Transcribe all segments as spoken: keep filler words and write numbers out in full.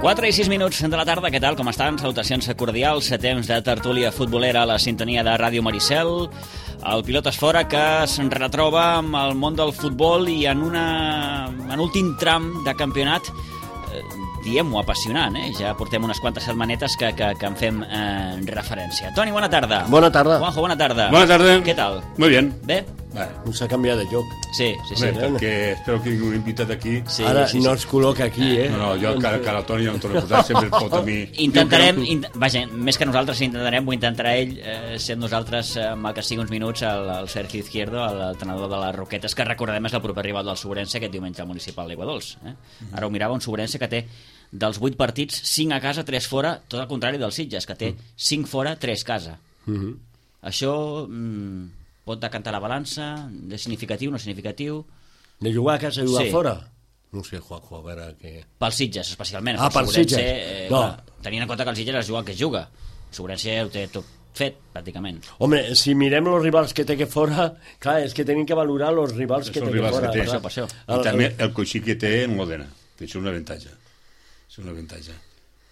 quatre i sis minuts de la tarda, què tal, com estan? Salutacions cordials, temps de tertúlia futbolera a la sintonia de Ràdio Maricel. El Pilotes Fora que es retroba amb el món del futbol i en, una, en últim tram de campionat, eh, diem-ho, apassionant, eh? Ja portem unes quantes setmanetes que, que, que en fem eh, referència. Toni, bona tarda. Bona tarda. Juanjo, bona tarda. Bona tarda. Què tal? Muy bien. Bé? Vale. No s'ha canviat de lloc. Sí, sí, sí. Bé, perquè espero que ningú invitat aquí. Sí, Ara sí, sí. no es col·loca aquí, eh? No, no, jo encara que el Toni no em torno a posar, sempre es pot a mi. Intentarem, int vaja, més que nosaltres intentarem, ho intentarà ell, eh, sent nosaltres, eh, amb el que sigui uns minuts, el, el Sergio Izquierdo, l'entrenador de les Roquetes, que recordem és el proper rival del Sobrense aquest diumenge al municipal d'Aiguadols. Eh? Ara ho mirava, un Sobrense que té dels vuit partits, cinc a casa, tres fora, tot el contrari dels Sitges, que té cinc fora, tres casa. Uh -huh. Això mm, pot decantar la balança, de significatiu, no significatiu... De jugar a casa i jugar Sí. fora? No sé, Juanjo, a veure què... Pels Sitges, especialment. Ah, pel pels Sobrense, Sitges. Eh, No. clar, tenint en compte que els Sitges es juga el que es juga. El Sobrense ho té tot fet, pràcticament. Home, si mirem els rivals que té que fora, clar, és que tenim que valorar els rivals que Els té que rivals fora. que té. clar. Per això, per I El- també el- el coixí que té en Modena, que és un avantatge. És un avantatge.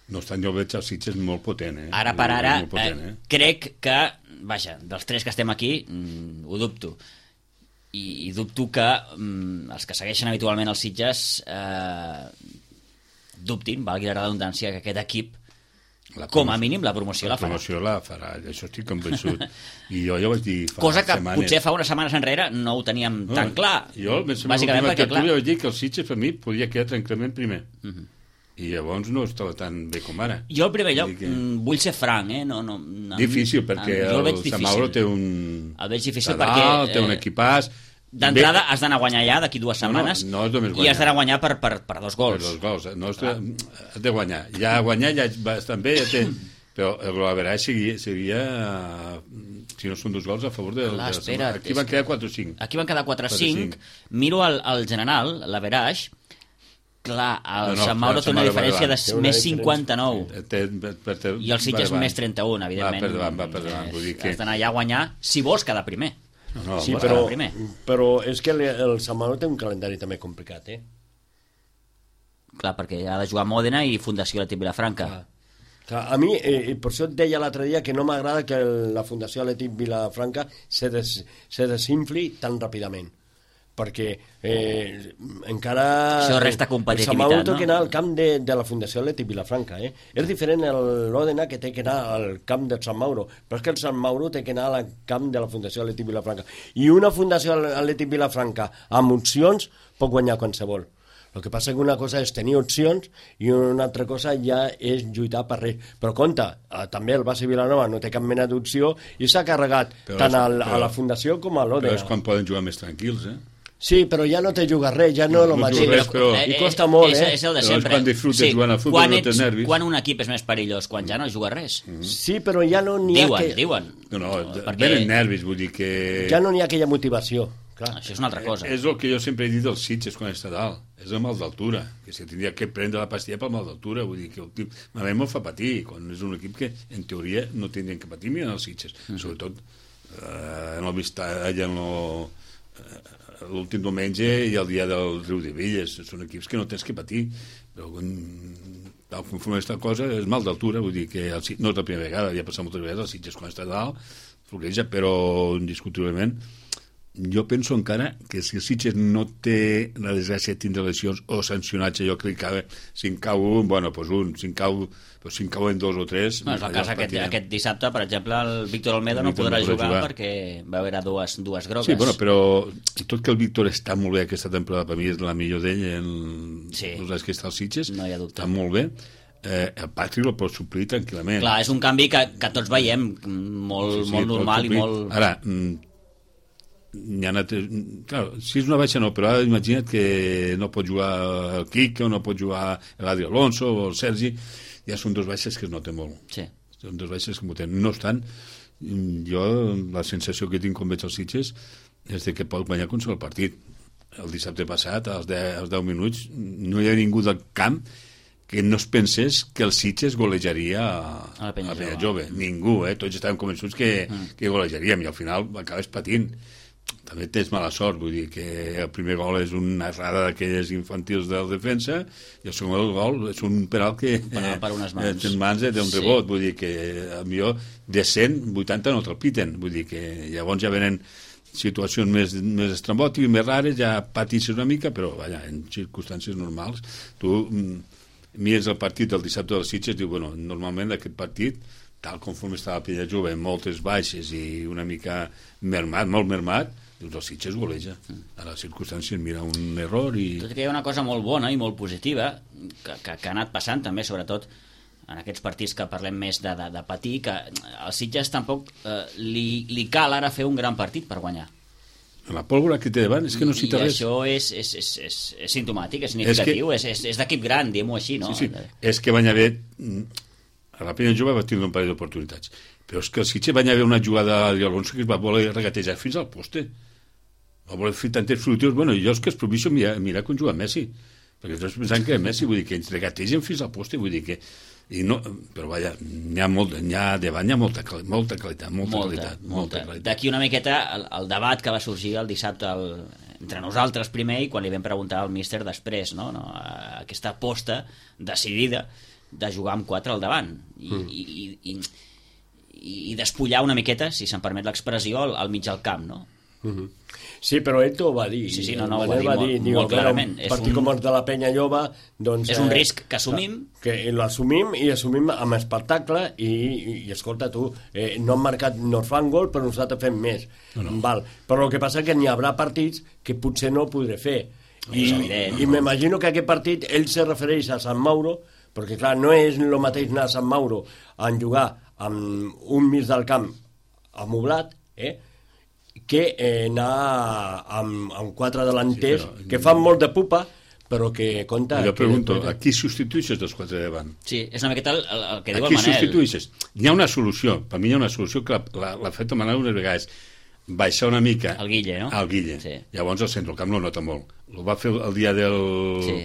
No obstant, jo veig els Sitges molt potent, eh? Ara per ara, Molt potent, eh, eh? crec que, vaja, dels tres que estem aquí, mm, ho dubto. I, i dubto que mm, els que segueixen habitualment els Sitges eh, dubtin, valgui la redundància, que aquest equip, La com a mínim, la promoció la, La farà. promoció la farà, això estic convençut. I jo ja ho vaig dir fa Cosa que setmanes. potser fa unes setmanes enrere no ho teníem No, tan clar. Jo, més o menys, bàsicament l'última perquè, clar... tertúlia vaig dir que el Sitges per mi podia quedar tranquil·lament primer. Uh -huh. I llavors no estava tan bé com ara. Jo, en primer lloc, Vull dir que- mm, vull ser franc, eh? No, no, no, Difícil, perquè jo el, veig el difícil. Samauro té un... El veig difícil Sadal, perquè, té un eh, equipàs... D'entrada has d'anar a guanyar ja d'aquí dues No, no, setmanes no és només i guanyar. has d'anar a guanyar per, per, per dos gols. Per dos gols. eh? No, has, de, has de guanyar. Ja guanyar ja va estar bé, ja té... Però el Golaverai seria, seria, si no són dos gols, a favor de... Clar, de la espera, Aquí van quedar quatre o cinc. Aquí van quedar quatre a quatre a cinc. cinc. Miro el, el general, l'Average. Clar, el No, no, Sant Mauro el té una Sant Mauro diferència va de Té una més diferència. cinquanta-nou. Té, per, per, per, I el Sitges més trenta-un, evidentment. Va per davant, va per davant. Vull dir que... Has d'anar allà a guanyar si vols quedar primer. No, no, Sí, va, però, primer. però és que el, el Sant Mauro té un calendari també complicat, eh? Clar, perquè ha de jugar a Mòdena i Fundació Atlètic Vilafranca. Clar. Clar, a mi, eh, per això et deia l'altre dia que no m'agrada que el, la Fundació Atlètic Vilafranca se, des, se desinfli tan ràpidament, perquè eh, encara... Això resta el competitivitat, Sant Mauro no? té que anar al camp de, de la Fundació Atlètic Vilafranca, eh? És diferent l'Òdena que té que anar al camp del Sant Mauro, però és que el Sant Mauro té que anar al camp de la Fundació Atlètic Vilafranca. I una Fundació Atlètic Vilafranca amb opcions pot guanyar qualsevol. El que passa que una cosa és tenir opcions i una altra cosa ja és lluitar per res. Però compte, eh, també el Basi Vilanova no té cap mena d'opció i s'ha carregat Però tant és- al, però- a la Fundació com a Però l'Òdena. és quan poden jugar més tranquils, eh? Sí, però ja no te jugar res, ja no és el No mateix. jugues res, però- I costa molt, és, eh? És el de Però és sempre. quan disfrutes jugant al futbol, quan no tens ets- nervis. Quan un equip és més perillós? Quan ja no juga res. Sí, però ja no n'hi ha, Diuen, que... diuen. No, no, perquè- venen nervis, vull dir que... ja no n'hi ha aquella motivació. Clar. Això és una altra cosa. És el que jo sempre he dit dels Sitges quan està dalt. És el mal d'altura, que se tindria que prendre la pastilla pel mal d'altura. Vull dir que el tip, a mi me'l fa patir, quan és un equip que, en teoria, no tindrien que patir, miren els Sitges. Mm. Sobretot, eh, no he vist allà en lo, eh, l'últim diumenge i el dia del Riu de Villes. Són equips que no tens que patir, però quan, tal conforme aquesta cosa, és mal d'altura, vull dir que el, Sit- no és la primera vegada, ja ha passat moltes vegades, els Sitges quan està dalt, floreja, però indiscutiblement jo penso encara que si el Sitges no té la desgràcia de tindre lesions o sancionats, jo crec que si en cau un, bueno, doncs un, si en cau, però si en cauen dos o tres... No, és el cas aquest, aquest dissabte, per exemple, el Víctor Olmedo no Víctor podrà no podrà jugar, jugar. perquè va haver dues, dues grogues. Sí, bueno, però tot que el Víctor està molt bé aquesta temporada, per mi és la millor d'ell en Sí. els anys que està als Sitges, No hi ha dubte. està molt bé. Eh, el Patrick el pot suplir tranquil·lament. Clar, és un canvi que, que tots veiem molt, Sí, sí, molt pot normal i suplir. molt... Ara, mm, hi ha anat, clar, si és una baixa no, però ara imagina't que no pot jugar el Quique o no pot jugar l'Adri Alonso o el Sergi, ja són dos baixes que es noten molt. Sí. Són dos baixes que es noten. No obstant, jo la sensació que tinc quan veig els Sitges és de que pot guanyar qualsevol partit. El dissabte passat, als deu, als deu minuts, no hi ha ningú del camp que no es pensés que el Sitges golejaria a, A la Penya a Penya Jove. Jove. Ningú, eh? Tots estàvem convençuts que, mm. que golejaríem i al final acabes patint. també tens mala sort, vull dir que el primer gol és una errada d'aquelles infantils del defensa i el segon gol és un penal que penal per unes mans, eh, mans eh, té un sí. rebot, vull dir que millor de cent vuitanta no te'l piten, vull dir que llavors ja venen situacions més, més estrambòtiques, més rares, ja patisses una mica, però vaja, en circumstàncies normals tu mires el partit del dissabte dels Sitges i diu, bueno, normalment aquest partit tal conforme està la Penya Jove, amb moltes baixes i una mica mermat, molt mermat, dius, el Sitges goleja. A les circumstàncies mira un error i... Tot i que hi ha una cosa molt bona i molt positiva que, que, que ha anat passant també, sobretot en aquests partits que parlem més de, de, de patir, que al Sitges tampoc eh, li, li cal ara fer un gran partit per guanyar. La pólvora que té davant és que no cita res. I això és, és, és, és, és simptomàtic, és significatiu, és, que... és, és, és d'equip gran, diguem-ho així, no? Sí, sí. És que van haver... A la Penya Jove va tindre un parell d'oportunitats, però és que el Sitges van haver una jugada de Alonso que es va voler regatejar fins al poste. Va voler fer tantes fruitius. Bueno, jo és que es proviso mirar, mirar com juga Messi, perquè tots pensant que és Messi, vull dir que ens regategen fins al poste, vull dir que... I no, però vaja, n'hi ha, molt, n'hi ha davant, hi ha molta, molta qualitat, molta, molta qualitat. Molta. molta qualitat. D'aquí una miqueta el, el debat que va sorgir el dissabte el, entre nosaltres primer i quan li vam preguntar al míster després, no? No? Aquesta aposta decidida de jugar amb quatre al davant i, mm. i, i, i, i despullar una miqueta, si se'm permet l'expressió, al, al mig del camp, no? Mm-hmm. Sí, però ell t'ho va dir. Sí, sí, no, no, ho va dir, va molt, dir molt clarament. Un partit com el de la Penya Jove, doncs... És un risc que assumim. Que l'assumim i assumim amb espectacle i, i, i escolta, tu, eh, no han marcat, no fan gol, però nosaltres fem més. No, no. Val. Però el que passa és que n'hi haurà partits que potser no podré fer. I, evident, i m'imagino que aquest partit ell se refereix a Sant Mauro, perquè clar, no és el mateix anar a Sant Mauro a jugar amb un mig del camp amoblat, eh? que eh, anar amb, amb quatre delanters sí, però... que fan molt de pupa però que compta... Jo pregunto, que... a qui substitueixes dels quatre de davant? Sí, és una miqueta el, el, el que diu el el Manel. A qui substitueixes? Hi ha una solució, per mi hi ha una solució que l'ha fet el Manel unes vegades, baixar una mica... El Guille, no? El Guille. Sí. Llavors el centrocamp no nota molt. Ho va fer el dia del... Sí.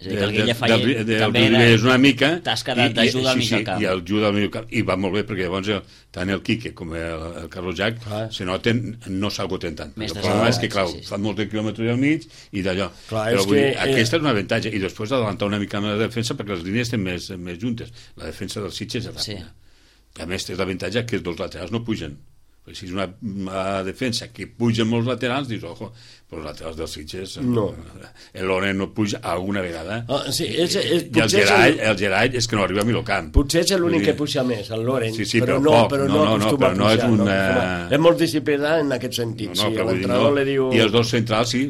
És a dir, que el Guille feia de, de, també de, és una mica tasca d'ajuda al mig del camp. I ajuda al mig del camp. I va molt bé, perquè llavors el, tant el Quique com el, el Carlos Jack ah. se noten, no s'agoten tant. El problema és que, clar, sí, sí. fan molts quilòmetres al mig i d'allò. Clar, però vull dir, que, aquesta eh... és un avantatge. I després adelantar una mica la defensa perquè les línies estan més, més juntes. La defensa dels Sitges és ràpida. Sí. A més, té l'avantatge que els dos laterals no pugen. Perquè si és una, una defensa que pugen molts laterals, dius, ojo, però els laterals dels Sitges no. L'Oren no puja alguna vegada ah, sí, és, és, i el Gerai, el Gerai és que no arriba a Milocamp. Potser és l'únic que puja més, el Loren, sí, sí, però, però, no, poc, però no, no, no, no, però no és una... no, és molt disciplinat en aquest sentit. No, no, sí, dir, no. li diu... I els dos centrals sí,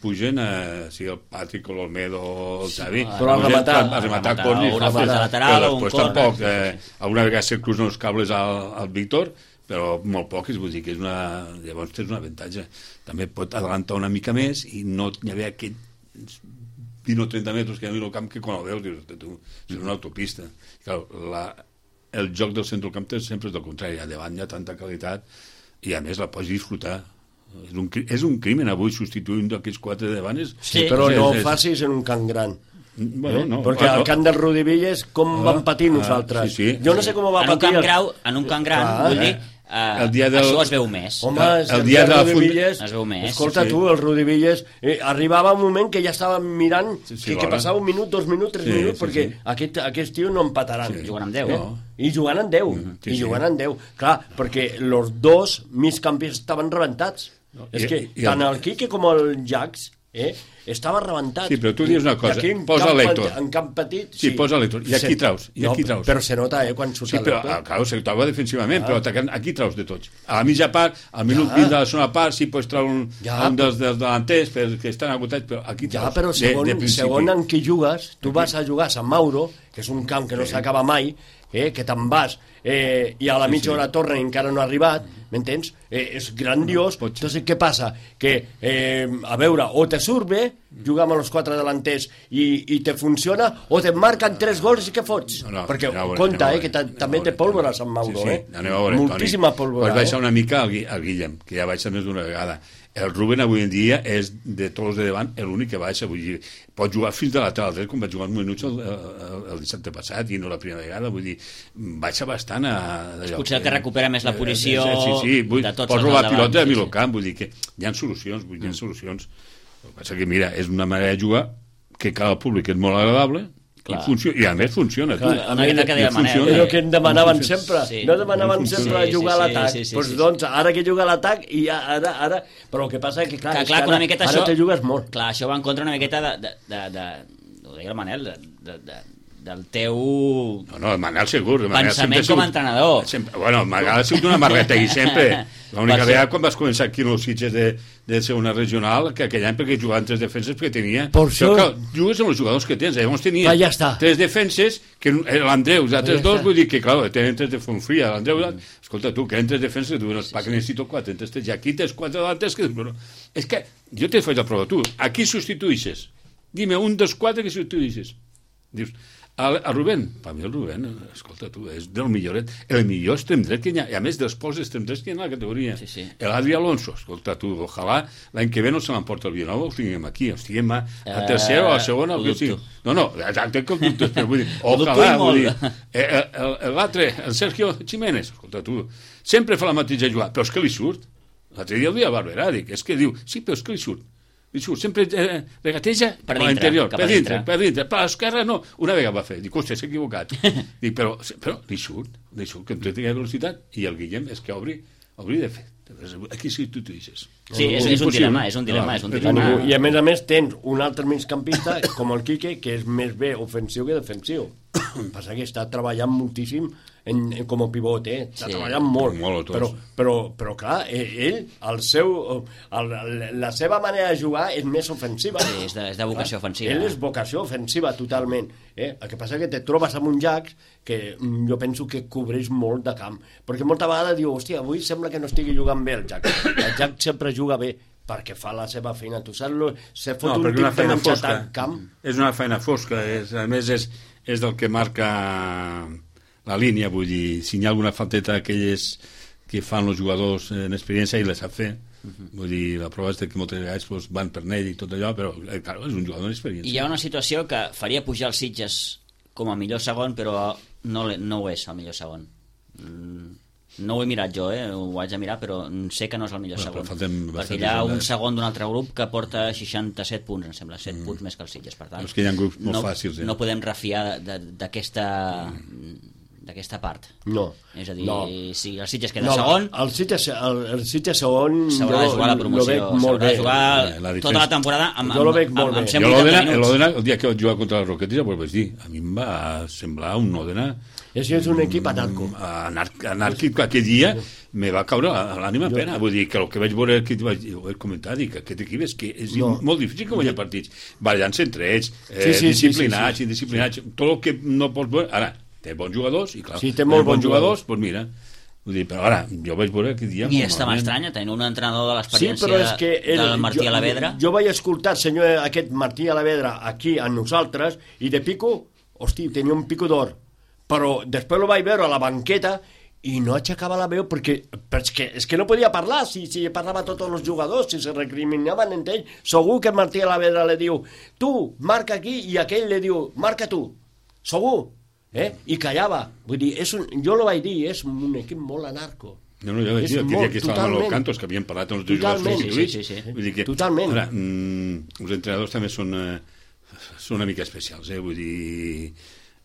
pugen a, sí, el Patrick o l'Olmedo o el Xavi, sí, però a rematar, a rematar cornis, una falta lateral o un cor. Tampoc, eh, alguna vegada se cruzen els cables al, al Víctor, però molt poques, vull dir que és una... Llavors tens un avantatge. També pot adelantar una mica més i no hi havia aquests vint o trenta metres que hi ha al camp que quan el veus dius, tu, és una autopista. Clar, la, el joc del centrocamp sempre és del contrari, a davant hi ha tanta qualitat i a més la pots disfrutar. És un, és un crimen avui substituir un d'aquests quatre de davant. És, sí, però no ho facis en un camp gran. Bueno, no, perquè bueno. Al camp del Rudi Villes com ah, vam patir nosaltres ah, sí, sí. Jo no sé com va en patir un camp grau, en un camp gran ah, vull dir, uh, el dia del... això es veu més. Home, el, el dia, dia del Rudi Villes es veu més. Escolta sí, sí. tu, el Rudi Villes eh, arribava un moment que ja estava mirant sí, sí, que, que passava un minut, dos minuts, tres sí, minuts sí, perquè sí. Aquest, aquest tio no empataran sí, jugant amb deu eh? no. i jugant amb deu mm, sí, i jugant amb deu, clar, perquè els dos migcampistes estaven rebentats no. És I, que i, tant el Quique com el Jax eh, estava rebentat. Sí, però tu dius una cosa, posa l'Hèctor. En camp petit, sí. Sí, posa l'Hèctor. I aquí traus, i aquí traus. Però se nota, eh, quan surt sí, però, l'Hèctor. Clar, se troba defensivament, ah. però atacant, aquí traus de tots. A la mitja part, al minut vint ja. de la segona part, sí, pots treure un, ja. un dels, dels delanters perquè estan agotats, però aquí traus. Ja, però segon, de, de segon en qui jugues, tu vas a jugar a Sant Mauro, que és un camp que no s'acaba mai, eh, que te'n vas eh, i a la mitja hora torna i encara no ha arribat, m'entens? Eh, és grandiós. Entonces, què passa? Que, eh, a veure, o te surt bé jugar amb els quatre delanters i, i te funciona, o te marquen tres gols i què fots? No, no, perquè no, compta, eh, que també té pólvora a Sant Mauro, sí, sí. eh? Veure, moltíssima Toni. pólvora. Pots baixar una mica al, al Guillem, que ja baixa més d'una vegada. el Rubén avui en dia és, de tots els de davant, l'únic que baixa. Vull dir, pot jugar fins de lateral dret, com va jugar uns minuts el, el, el dissabte passat, i no la primera vegada. Vull dir, baixa bastant a... Potser el que recupera més la posició eh, sí, sí, vull, de tots pot els robar davant, pilota a sí, mig sí. camp, vull dir que hi ha solucions, vull dir, hi ha solucions. El que passa que, mira, és una manera de jugar que cada públic és molt agradable, i, funcio i a més funciona. Clar, tu. a més, que deia Manel, és el que em demanaven funciona. sempre. Sí. No demanaven Sí, sempre sí, jugar a sí, l'atac. sí, sí, pues, sí. doncs ara que juga a l'atac i ara, ara... Però el que passa és que, clar, Que, és clar, que que una ara, miqueta ara això, te jugues molt. Clar, això va en contra una miqueta de, de, de, de, ho deia el Manel, de, de, de, del teu No, no, el Manel segur. El Manel pensament sempre com a sigut- entrenador. Sempre, bueno, el Manel ha sigut una marreta i sempre. L'única Per vegada això- quan vas començar aquí en els Sitges de, de ser una regional, que aquell any perquè jugaven tres defenses perquè tenia... Per Això, això- que jugues amb els jugadors que tens. Llavors tenia Ah, ja està. tres defenses, que l'Andreu, els altres ja dos, està. vull dir que, clar, tenen tres de Fontfria, l'Andreu... Escolta, tu, que eren tres defenses, tu dius, pa, que necessito quatre, entonces tens aquí tens quatre d'altres que... Bueno, és que jo te faig la prova, tu, a qui substituïsses? Dime un dels quatre que substituïsses. Dius, el, el Rubén, per mi el Rubén, escolta tu, és del milloret, el millor extrem dret que hi ha, i a més dels pocs extrem drets que hi ha en la categoria. Sí, sí. L'Adri Alonso, escolta tu, ojalà l'any que ve no se l'emporta el Vilanova, el tinguem aquí, el tinguem a, a tercer o a segona, ho o que sigui. dubto. No, no, exacte que ho dubtes, però vull dir, Ho dubto ojalà, i vull dir, molt. eh, el- el- l'altre, el Sergio Jiménez, escolta tu, sempre fa la mateixa jugada, però és que li surt. L'altre dia el dia a Barberà, dic, és que diu, sí, però és que li surt. Li surt, sempre eh, regateja Per a dintre, l'interior, cap a per dintre, dintre. per dintre, per l'esquerra no. Una vegada va fer, dic, hòstia, s'ha equivocat. Dic, però, però li surt, li surt, que té velocitat, i el Guillem és que obri, obri de fet. Aquí sí tu t'ho dices. Sí, és, és un dilema, és un dilema, és un A dilema. ningú. I a més a més tens un altre migcampista com el Quique, que és més bé ofensiu que defensiu. Passa que està treballant moltíssim en, en, com a pivot, eh? Està Sí. treballant molt, Molt, tots. però, però, però clar, eh, ell, el seu, el, la seva manera de jugar és més ofensiva. Sí, és de, és de vocació ofensiva. Ell és vocació ofensiva totalment. Eh? El que passa és que te trobes amb un Jack que mm, jo penso que cobreix molt de camp. Perquè molta vegada diu, hòstia, avui sembla que no estigui jugant bé el Jack. El Jack sempre juga bé perquè fa la seva feina. Tu saps, lo, se fot No, un perquè tip una de feina menjar fosca. tant camp. És una feina fosca, és, a més és, és del que marca la línia, vull dir, si hi ha alguna falteta d'aquelles que fan els jugadors en experiència i les sap fer. Vull dir, la prova és que moltes vegades pues, van per n'ell i tot allò, però eh, clar, és un jugador d'experiència. I hi ha una situació que faria pujar els Sitges com a millor segon, però no, le- no ho és el millor segon. Mm, no ho he mirat jo, eh? Ho haig de mirar, però sé que no és el millor Bueno, però segon. falten Perquè bastants hi ha un jornades. segon d'un altre grup que porta seixanta-set punts, em sembla, set punts més que els Sitges. Per tant, És que hi ha grups molt no, fàcils, eh? no podem refiar de- d'aquesta d'aquesta part. No. És a dir, no. si el Sitges queda No, segon, el Sitges, el, el Sitges segon s'haurà de jo jugar la lo promoció, veig molt s'haurà bé. de jugar Eh, la tota defensa. la temporada amb, Jo lo amb, veig molt amb, bé. amb Jo cent vuitanta l'Òdena, minuts. l'Òdena, el dia que vaig jugar contra les Roquetes, ja ho vaig dir, a mi em va semblar un Òdena És, és un equip anarco. anàrquic, anàrquic que aquell dia me va caure a l'ànima a pena. Vull dir que el que vaig veure, que vaig, ho he comentat, dic que aquest equip és que és No. molt difícil que guanyar partits. Ballant-se entre ells, eh, Sí, sí, sí, disciplinats, sí, sí. indisciplinats, tot el que no pots veure. Ara, té bons jugadors, i clar, Sí, té molt bons jugadors, doncs mira, vull dir, però ara, jo vaig veure aquell dia... I molt està malament. m'estranya tenir un entrenador de Sí, l'experiència però és que ell, del Martí jo, Alavedra. Jo vaig escoltar el senyor aquest Martí Alavedra aquí a nosaltres i de pico, hosti, tenia un pico d'or. Però després lo vaig veure a la banqueta i no aixecava la veu perquè, perquè és que no podia parlar si, si parlava a tots els jugadors, si se recriminaven entre ells. Segur que Martí Alavedra li diu tu, marca aquí, i aquell li diu marca tu, segur. Eh? I callava. Vull dir, és un, jo lo vaig dir, és un equip molt anarco. No, no, ja vaig És dir, aquell molt, dia que estàvem a totalment. los cantos, que havien parlat amb els dos jugadors Totalment. substituïts. Sí, sí, sí, sí. Vull dir que, Totalment. Ara, mm, els entrenadors també són, eh, són una mica especials, eh? Vull dir...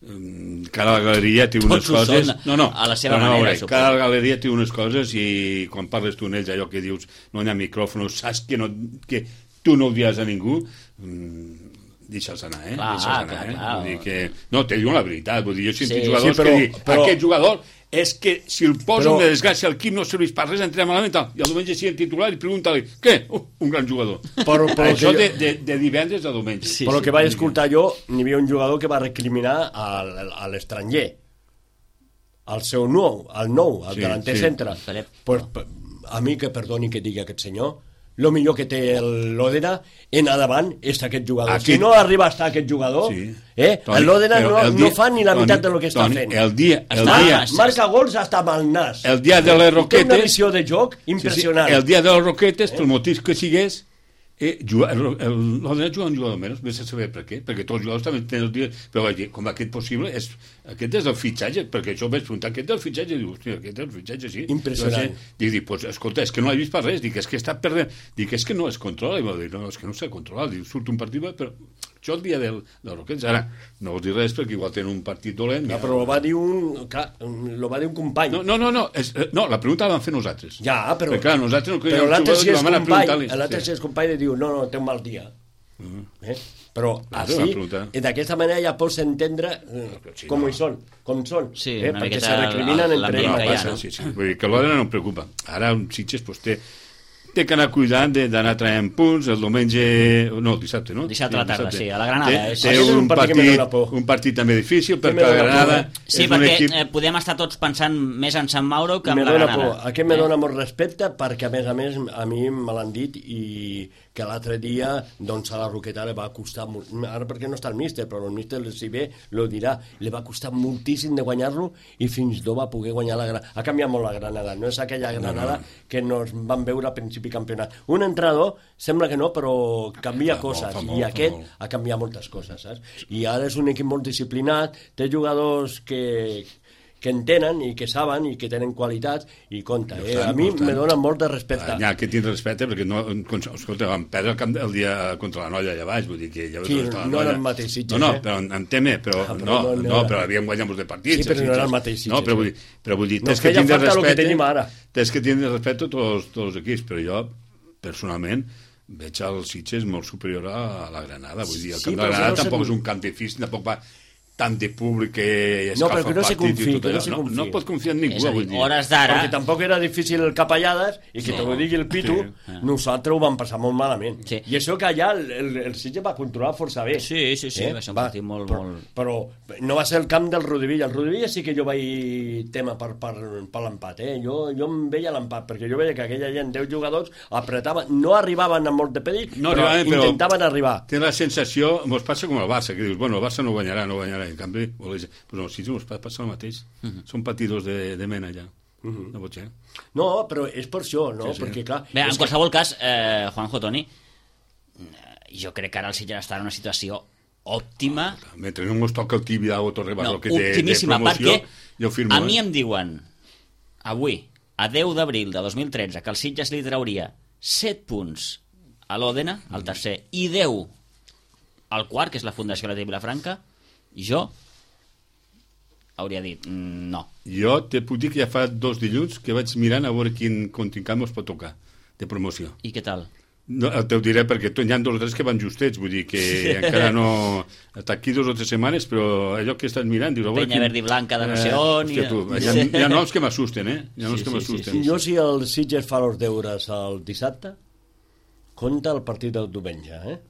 mm, Cada galeria té unes Tots ho coses... són, no, no, a la seva però no, manera, veure, suposo. cada galeria té unes coses i quan parles tu en ells, allò que dius, no hi ha micròfons, saps que, no, que tu no ho diràs a ningú... Mm, deixa'ls anar, eh? Clar, Deixa'ls anar, clar, eh? clar. Vull dir que... No, te diuen la veritat, vull dir, jo he sentit Sí, jugadors sí, però- que diuen, però- aquest jugador és que si el poso Però- de desgràcia al equip no serveix per res, entrem malament, tal. I el diumenge sigui titular i pregunta-li, què? Uh, un gran jugador. Però, però Això que de, jo- de, de divendres a diumenge. Sí, Però el sí. que vaig escoltar jo, n'hi havia un jugador que va recriminar al, a l'estranger, al seu nou, al nou, al Sí, delanter sí. centre. Pep. Pues, a mi que perdoni que digui aquest senyor, el millor que té l'Òdena en endavant és aquest jugador. Aquí... Si no arriba a estar aquest jugador, sí. eh, l'Òdena no, el dia... no fa ni la Toni, meitat del que està Toni, fent. El dia, el està, dia... Marca gols hasta amb el nas. El dia de les Roquetes... Té una visió de joc impressionant. Sí, sí. El dia de les Roquetes, eh? pel motiu que sigués, eh, l'Òdena juga un jugador menys, vés a saber per què, perquè tots els jugadors també tenen el dia... Però vaig dir, com aquest possible, és, aquest és el fitxatge, perquè això ho vaig preguntar, aquest és el fitxatge, diu, hòstia, aquest és el fitxatge, sí. Impressionant. Dic, dic, pues, escolta, és que no l'he vist per res, dic, és que està perdent, dic, és que no es controla, i va dir, no, és que no s'ha controlat, dic, surt un partit, però això el dia del, del Roquets, ara, no us dir res, perquè igual tenen un partit dolent. No, però ho va dir un, clar, lo va dir un company. No, no, no, no, és, no la pregunta la vam fer nosaltres. Ja, però... Perquè, clar, nosaltres no però l'altre si és company, l'altre si és company i diu, no, no, té un mal dia. Uh-huh. Eh? Però així, d'aquesta manera ja pots entendre eh, sí, com no. hi són, com són, sí, eh? perquè se recriminen entre ells. No, sí, sí. Vull dir que l'Òdena no em preocupa. Ara un Sitges pues, té té que anar cuidant d'anar traient punts el diumenge, no, el dissabte, no? Dissabte a la tarda, sí, a la Granada. Té, té un, un, partit, un partit també difícil, perquè la Granada... Sí, perquè equip... eh, podem estar tots pensant més en Sant Mauro que en me la Granada. Por. Aquest me eh? dona molt respecte, perquè a més a més a mi me l'han dit i que l'altre dia doncs a la Roqueta li va costar molt, ara perquè no està el míster, però el míster si bé lo dirà, li va costar moltíssim de guanyar-lo i fins d'ho va poder guanyar la Granada. Ha canviat molt la Granada, no és aquella Granada no, no. que nos van veure a principi campionat. Un entrenador sembla que no, però canvia fa coses molt, molt, i aquest molt. ha canviat moltes coses, saps? I ara és un equip molt disciplinat, té jugadors que que entenen i que saben i que tenen qualitats i compta, eh? A mi me dona molt de respecte. Ja, que tinc respecte perquè no, escolta, vam perdre el, camp el dia contra la Noia allà baix, vull dir que ja sí, no era el mateix Sitges, no, no, però en teme, però ah, però no, no, no, no, però havíem guanyat molts de partits. Sí, però no era el mateix Sitges. No, però vull dir, però vull dir, no, tens que, que tindre respecte, que tens que tindre respecte a tots, tots els equips, però jo, personalment, veig el Sitges molt superior a la Granada, vull dir, el camp sí, de la Granada no tampoc és un camp difícil, tampoc va tant de públic que escalfa no, el no partit confi, i tot allò. No, no, no pot confiar en ningú, és a dir, vull dir. Hores d'ara... Perquè tampoc era difícil el Capellades i que sí. te ho digui el Pitu, sí. nosaltres ho vam passar molt malament. Sí. I això que allà el, el, el Sitges va controlar força bé. Sí, sí, sí, eh? va ser un partit molt, però, molt... Però no va ser el camp del Rodivilla. El Rodivilla sí que jo vaig tema per, per, per l'empat, eh? Jo, jo em veia l'empat, perquè jo veia que aquella gent, deu jugadors, apretaven, no arribaven a molt de pedic, no però arribaven, intentaven però arribar. Té la sensació, mos passa com el Barça, que dius, bueno, el Barça no guanyarà, no guanyarà, en canvi, pues no, si ens passa el mateix. Uh -huh. Són patidors de, de mena ja. Uh -huh. No pot ser. No, però és per això, no? Sí, sí. Perquè, clar... Bé, en qualsevol que... cas, eh, Juanjo, Toni, jo crec que ara el Sitges està en una situació òptima. Oh, mentre no ens toca el tibi d'Ago Torrebarro, no, que té de promoció, jo firmo. A mi em diuen, avui, a deu d'abril de dos mil tretze, que el Sitges li trauria set punts a l'Òdena, al tercer, i deu al quart, que és la Fundació Leti Vilafranca, jo hauria dit no. Jo te puc dir que ja fa dos dilluns que vaig mirant a veure quin contrincant mos pot tocar de promoció. I què tal? No, te ho diré perquè hi ha dos o tres que van justets, vull dir que sí. encara no... Està aquí dos o tres setmanes, però allò que estàs mirant... Dius, Penya verd i blanca de no sé on... Eh, hòstia, tu, hi, ha, hi ha noms que m'assusten, eh? Hi ha noms sí, que sí, m'assusten. Sí, sí. Jo, si el Sitges fa els deures el dissabte, compta el partit del diumenge, eh?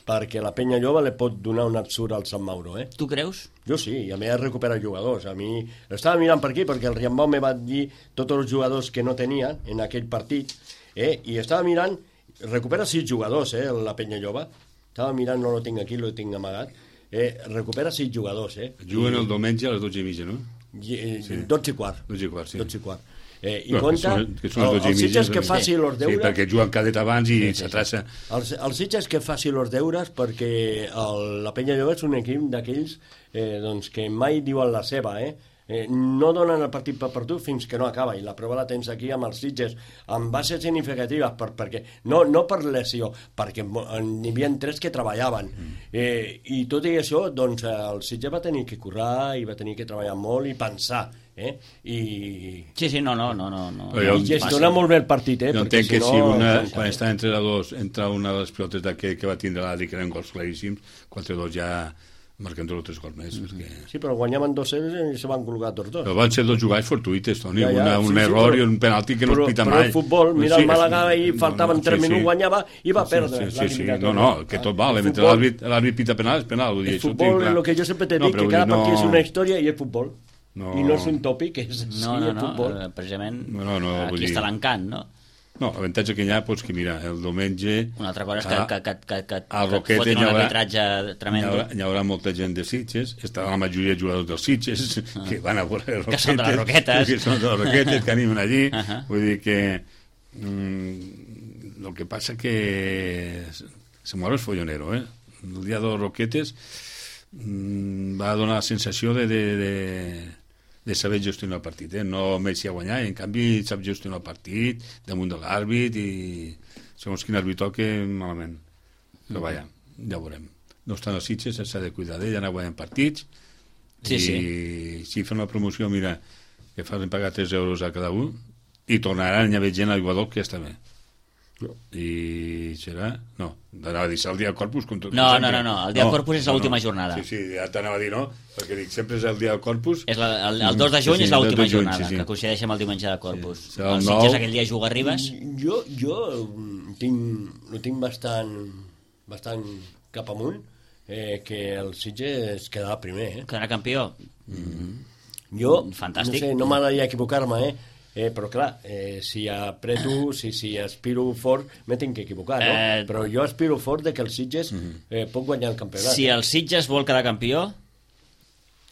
Perquè la Penya Lloba li pot donar un absurd al Sant Mauro, eh? Tu creus? Jo sí, i a més recupera jugadors. A mi l'estava mirant per aquí perquè el Riambau me va dir tots els jugadors que no tenia en aquell partit, eh? I estava mirant, recupera sis jugadors, eh? La Penya Lloba. Estava mirant, no lo tinc aquí, lo tinc amagat. Eh? Recupera sis jugadors, eh? Juguen I... el diumenge a les dotze i mitja, no? I, eh, sí. dotze i quart. dotze i quart, sí. dotze i quart. Eh, I no, compta, que són, que el, el Sitges que faci els deures... Sí, perquè juguen cadet abans i sí, sí, s'atrassa... El, el Sitges que faci els deures perquè el, la Penya Lloba és un equip d'aquells eh, doncs, que mai diuen la seva, eh? Eh, no donen el partit per perdut fins que no acaba, i la prova la tens aquí amb els Sitges, amb bases significatives, per, perquè, no, no per lesió, perquè n'hi havia tres que treballaven, mm. eh, i tot i això, doncs, el Sitges va tenir que currar i va tenir que treballar molt i pensar, eh? I... Sí, sí, no, no, no, no, no. I gestiona molt bé el partit, eh? Jo entenc que si, no, si una, quan està entre la dos, entra una de les pilotes d'aquest que va tindre l'Adri, que eren gols claríssims, quatre dos ja marquen dos o tres gols més. Mm -hmm. perquè... Sí, però guanyaven dos zero i se van col·locar tots dos. Però van ser dos jugades fortuïtes, Toni, ja, ja, una, un sí, error sí, però, i un penalti que no però, es pita però mai. Però el futbol, mira sí, el Màlaga ahir faltaven no, tres sí, minuts, sí. guanyava i va sí, perdre. Sí, sí, sí. No, no, que tot vale, mentre l'àrbit pita penal és penal. Vull dir, el futbol, el que jo sempre t'he dit, que cada partit és una història i és futbol. No. I no és un tòpic, és no, no, no, futbol. Precisament no, no, no, aquí està l'encant, no? No, l'avantatge que hi ha, doncs que mira, el diumenge... Una altra cosa és que, que, que, que, que, al que Roquete fotin hi un haurà, arbitratge tremendo. hi haurà, hi haurà molta gent de Sitges, estarà la majoria de jugadors dels Sitges, ah. que van a veure els Que són de les Roquetes. que són de les Roquetes, que animen allí. Uh -huh. Vull dir que... Mm, el que passa que... Se muere el follonero, eh? El dia dels Roquetes mm, va donar la sensació de... de, de de saber gestionar el partit, eh? No Messi a guanyar, i en canvi sap gestionar el partit damunt de l'àrbit i segons quin àrbit toque malament, però mm. vaja, ja ho veurem. No estan els Sitges, s'ha de cuidar d'ell, anar guanyant partits sí, i sí. si fan la promoció, mira, que fan pagar tres euros a cada un i tornaran a haver gent al jugador que ja està bé. No. I serà... No, anava a dir el dia de Corpus... Com tot no, no, no, no, el dia de no, Corpus és no, l'última no. jornada. Sí, sí, ja t'anava a dir no, perquè dic, sempre és el dia de Corpus... És la, el, el dos de juny sí, sí, és l'última juny, jornada, sí, sí. que coincideix amb el diumenge de Corpus. Sí, el el nou... Sitges aquell dia juga a Ribes. Jo, jo tinc, ho tinc bastant, bastant cap amunt, eh, que el Sitges quedarà primer. Eh? Quedarà campió. Mm-hmm. Jo, Fantàstic. no sé, no m'agradaria equivocar-me, eh? Eh, però clar, eh, si apreto, si, si aspiro fort, me tinc que equivocar, no? Eh... Però jo aspiro fort de que el Sitges eh, pot guanyar el campionat. Si el Sitges vol quedar campió...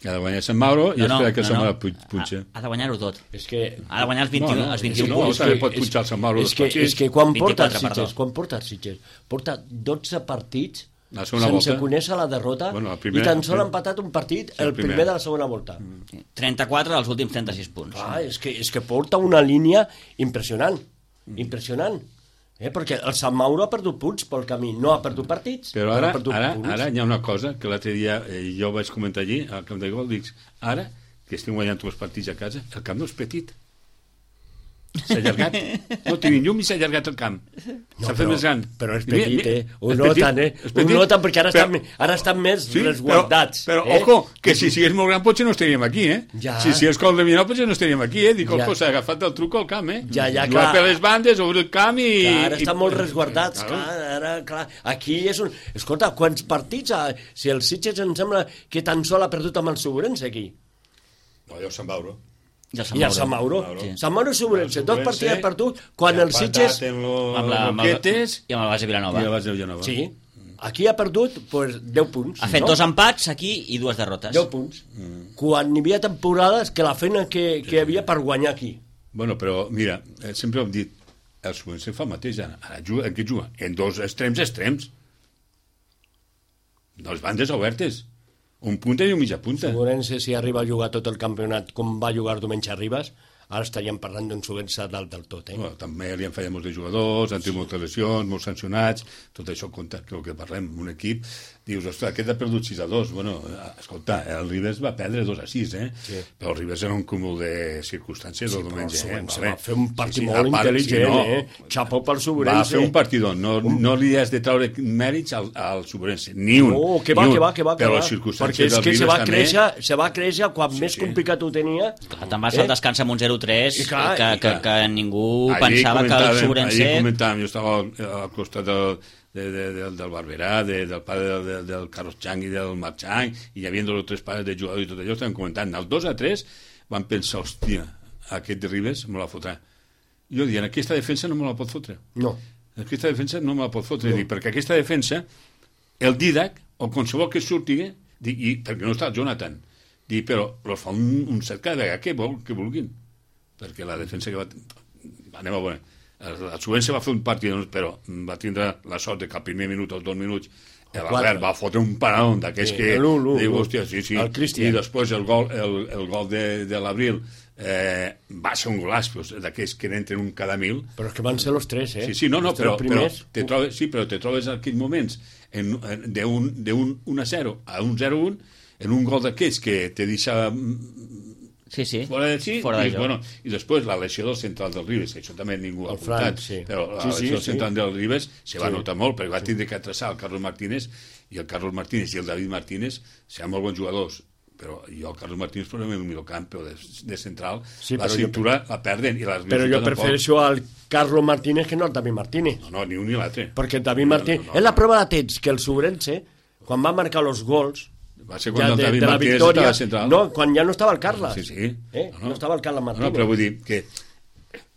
Ha de guanyar Sant Mauro i no, espera que no, Sant Mauro no. punxa. Ha, ha de guanyar-ho tot. És que... Ha de guanyar els vint-i-u, no, no, els vint-i-un no, punts. No, també pot punxar el Sant Mauro. És que, és que quan porta el vint-i-quatre, Sitges, quan porta el Sitges, porta dotze partits la sense volta. conèixer la derrota, bueno, la primera, i tan sol ha empatat un partit el, el primer. primer de la segona volta. Mm. trenta-quatre dels últims trenta-sis punts. Ah, és, que, és que porta una línia impressionant, impressionant. Eh? Perquè el Sant Mauro ha perdut punts pel camí, no ha perdut partits. Però ara, ha ara, punts. ara hi ha una cosa que l'altre dia eh, jo vaig comentar allí, al camp de gol, dic, ara que estem guanyant els partits a casa, el camp no és petit. S'ha allargat. No tenim llum i s'ha allargat el camp. No, s'ha fet més gran. Però és petit, mira, mira, eh? Ho noten, eh? Ho noten perquè ara, però, estan, ara estan més sí, resguardats. Però, però eh? ojo, que si sigués molt gran potser no estaríem aquí, eh? Ja. Si sigués col de Vinal potser no estaríem aquí, eh? Dic, ja. S'ha agafat el truc al camp, eh? Ja, ja, jugar clar. per les bandes, obrir el camp i... Clar, ara i, estan molt resguardats, claro. clar, ara, clar. Aquí és un... Escolta, quants partits... Ha... Si el Sitges em sembla que tan sol ha perdut amb el Sobrense aquí. No, jo se'n Mauro. I el Sant Mauro. I el Sant Mauro. Sí. Sant Mauro i Sobrense, dos partits ha perdut quan el Sitges... Lo, amb la, amb el, i amb el base Vilanova. I el base Vilanova. Sí. Aquí ha perdut pues, deu punts. Ha fet no? dos empats aquí i dues derrotes. deu punts. Mm. Quan hi havia temporades que la feina que, que hi havia per guanyar aquí. Bueno, però mira, eh, sempre hem dit, el Sobrense fa el mateix, ara, ara juga, en què juga? En dos extrems, extrems. Dos bandes obertes. Un punta i un mitja punta. Sobrense, si arriba a jugar tot el campionat com va jugar diumenge a Ribes, ara estaríem parlant d'un Sobrense dalt del tot. Eh? Bueno, també li han fallat molts de jugadors, han tingut moltes lesions, molts sancionats, tot això compta, que el que parlem, un equip, dius, ostres, aquest ha perdut sis a dos. Bueno, escolta, el Ribes va perdre dos a sis, eh? Sí. Però el Ribes era un cúmul de circumstàncies sí, el diumenge. Sí, eh? Vale. Va fer un partit sí, sí, molt part, intel·ligent, sí, no, eh? Xapó pel Sobrense. Va fer un partidor, no, un... no li has de treure mèrits al, al Sobrense, ni un. No, que va, un. que va, que va. Però les circumstàncies del Ribes se va també... Créixer, se va créixer quan sí, més sí. complicat ho tenia. Clar, te'n vas eh? al descans amb un zero tres que, que, que, que ningú allí pensava que el Sobrense... Allí comentàvem, jo estava al, al costat del, de, de, de, del Barberà, de, del pare del, de, del Carlos Chang i del Marc Chang, i hi havia dos o tres pares de jugadors i tot allò, estàvem comentant. El dos a tres van pensar, hòstia, aquest de Ribes me la fotrà. Jo dient, aquesta defensa no me la pot fotre. No. Aquesta defensa no me la pot fotre, no. Dic, perquè aquesta defensa, el Didac, o qualsevol que surti, dic, i perquè no està el Jonathan, dic, però els fa un, un cert cada vegada que, vol, que vulguin. Perquè la defensa que va... Anem a veure. El, el Sobrense va fer un partit, però va tindre la sort de que al primer minut o els dos minuts l'Albert va fotre un paradón d'aquells sí, que... Diu, hòstia, sí, sí. I després el gol, el, el gol de, de l'Abril eh, va ser un golaç d'aquells que n'entren un cada mil. Però és que van ser els tres, eh? Sí, sí, no, no, però, però, te trobes, sí, però te trobes en aquells moments d'un un a zero a un zero a un en un gol d'aquells que te deixa... Sí, sí. Fora de sí, fora i, de bueno, i després la lesió del central del Ribes, això també ningú ha apuntat, sí. però la sí, lesió sí, del central sí. del Ribes se va sí. notar molt, perquè va sí. tindre que atreçar el Carlos Martínez, i el Carlos Martínez i el David Martínez seran molt bons jugadors, però jo el Carlos Martínez per el meu camp de, de central, sí, la cintura jo, la perden. I la però jo prefereixo al Carlos Martínez que no al David Martínez. No, no, ni un ni l'altre. Perquè el David Martínez... No, no, no, és la prova de temps que el Sobrense, quan va marcar els gols, va ser quan ja, el de, David de la Martínez victòria, estava central. No, quan ja no estava el Carles. Sí, sí. Eh? No, no. no estava el Carles Martínez. No, però vull dir que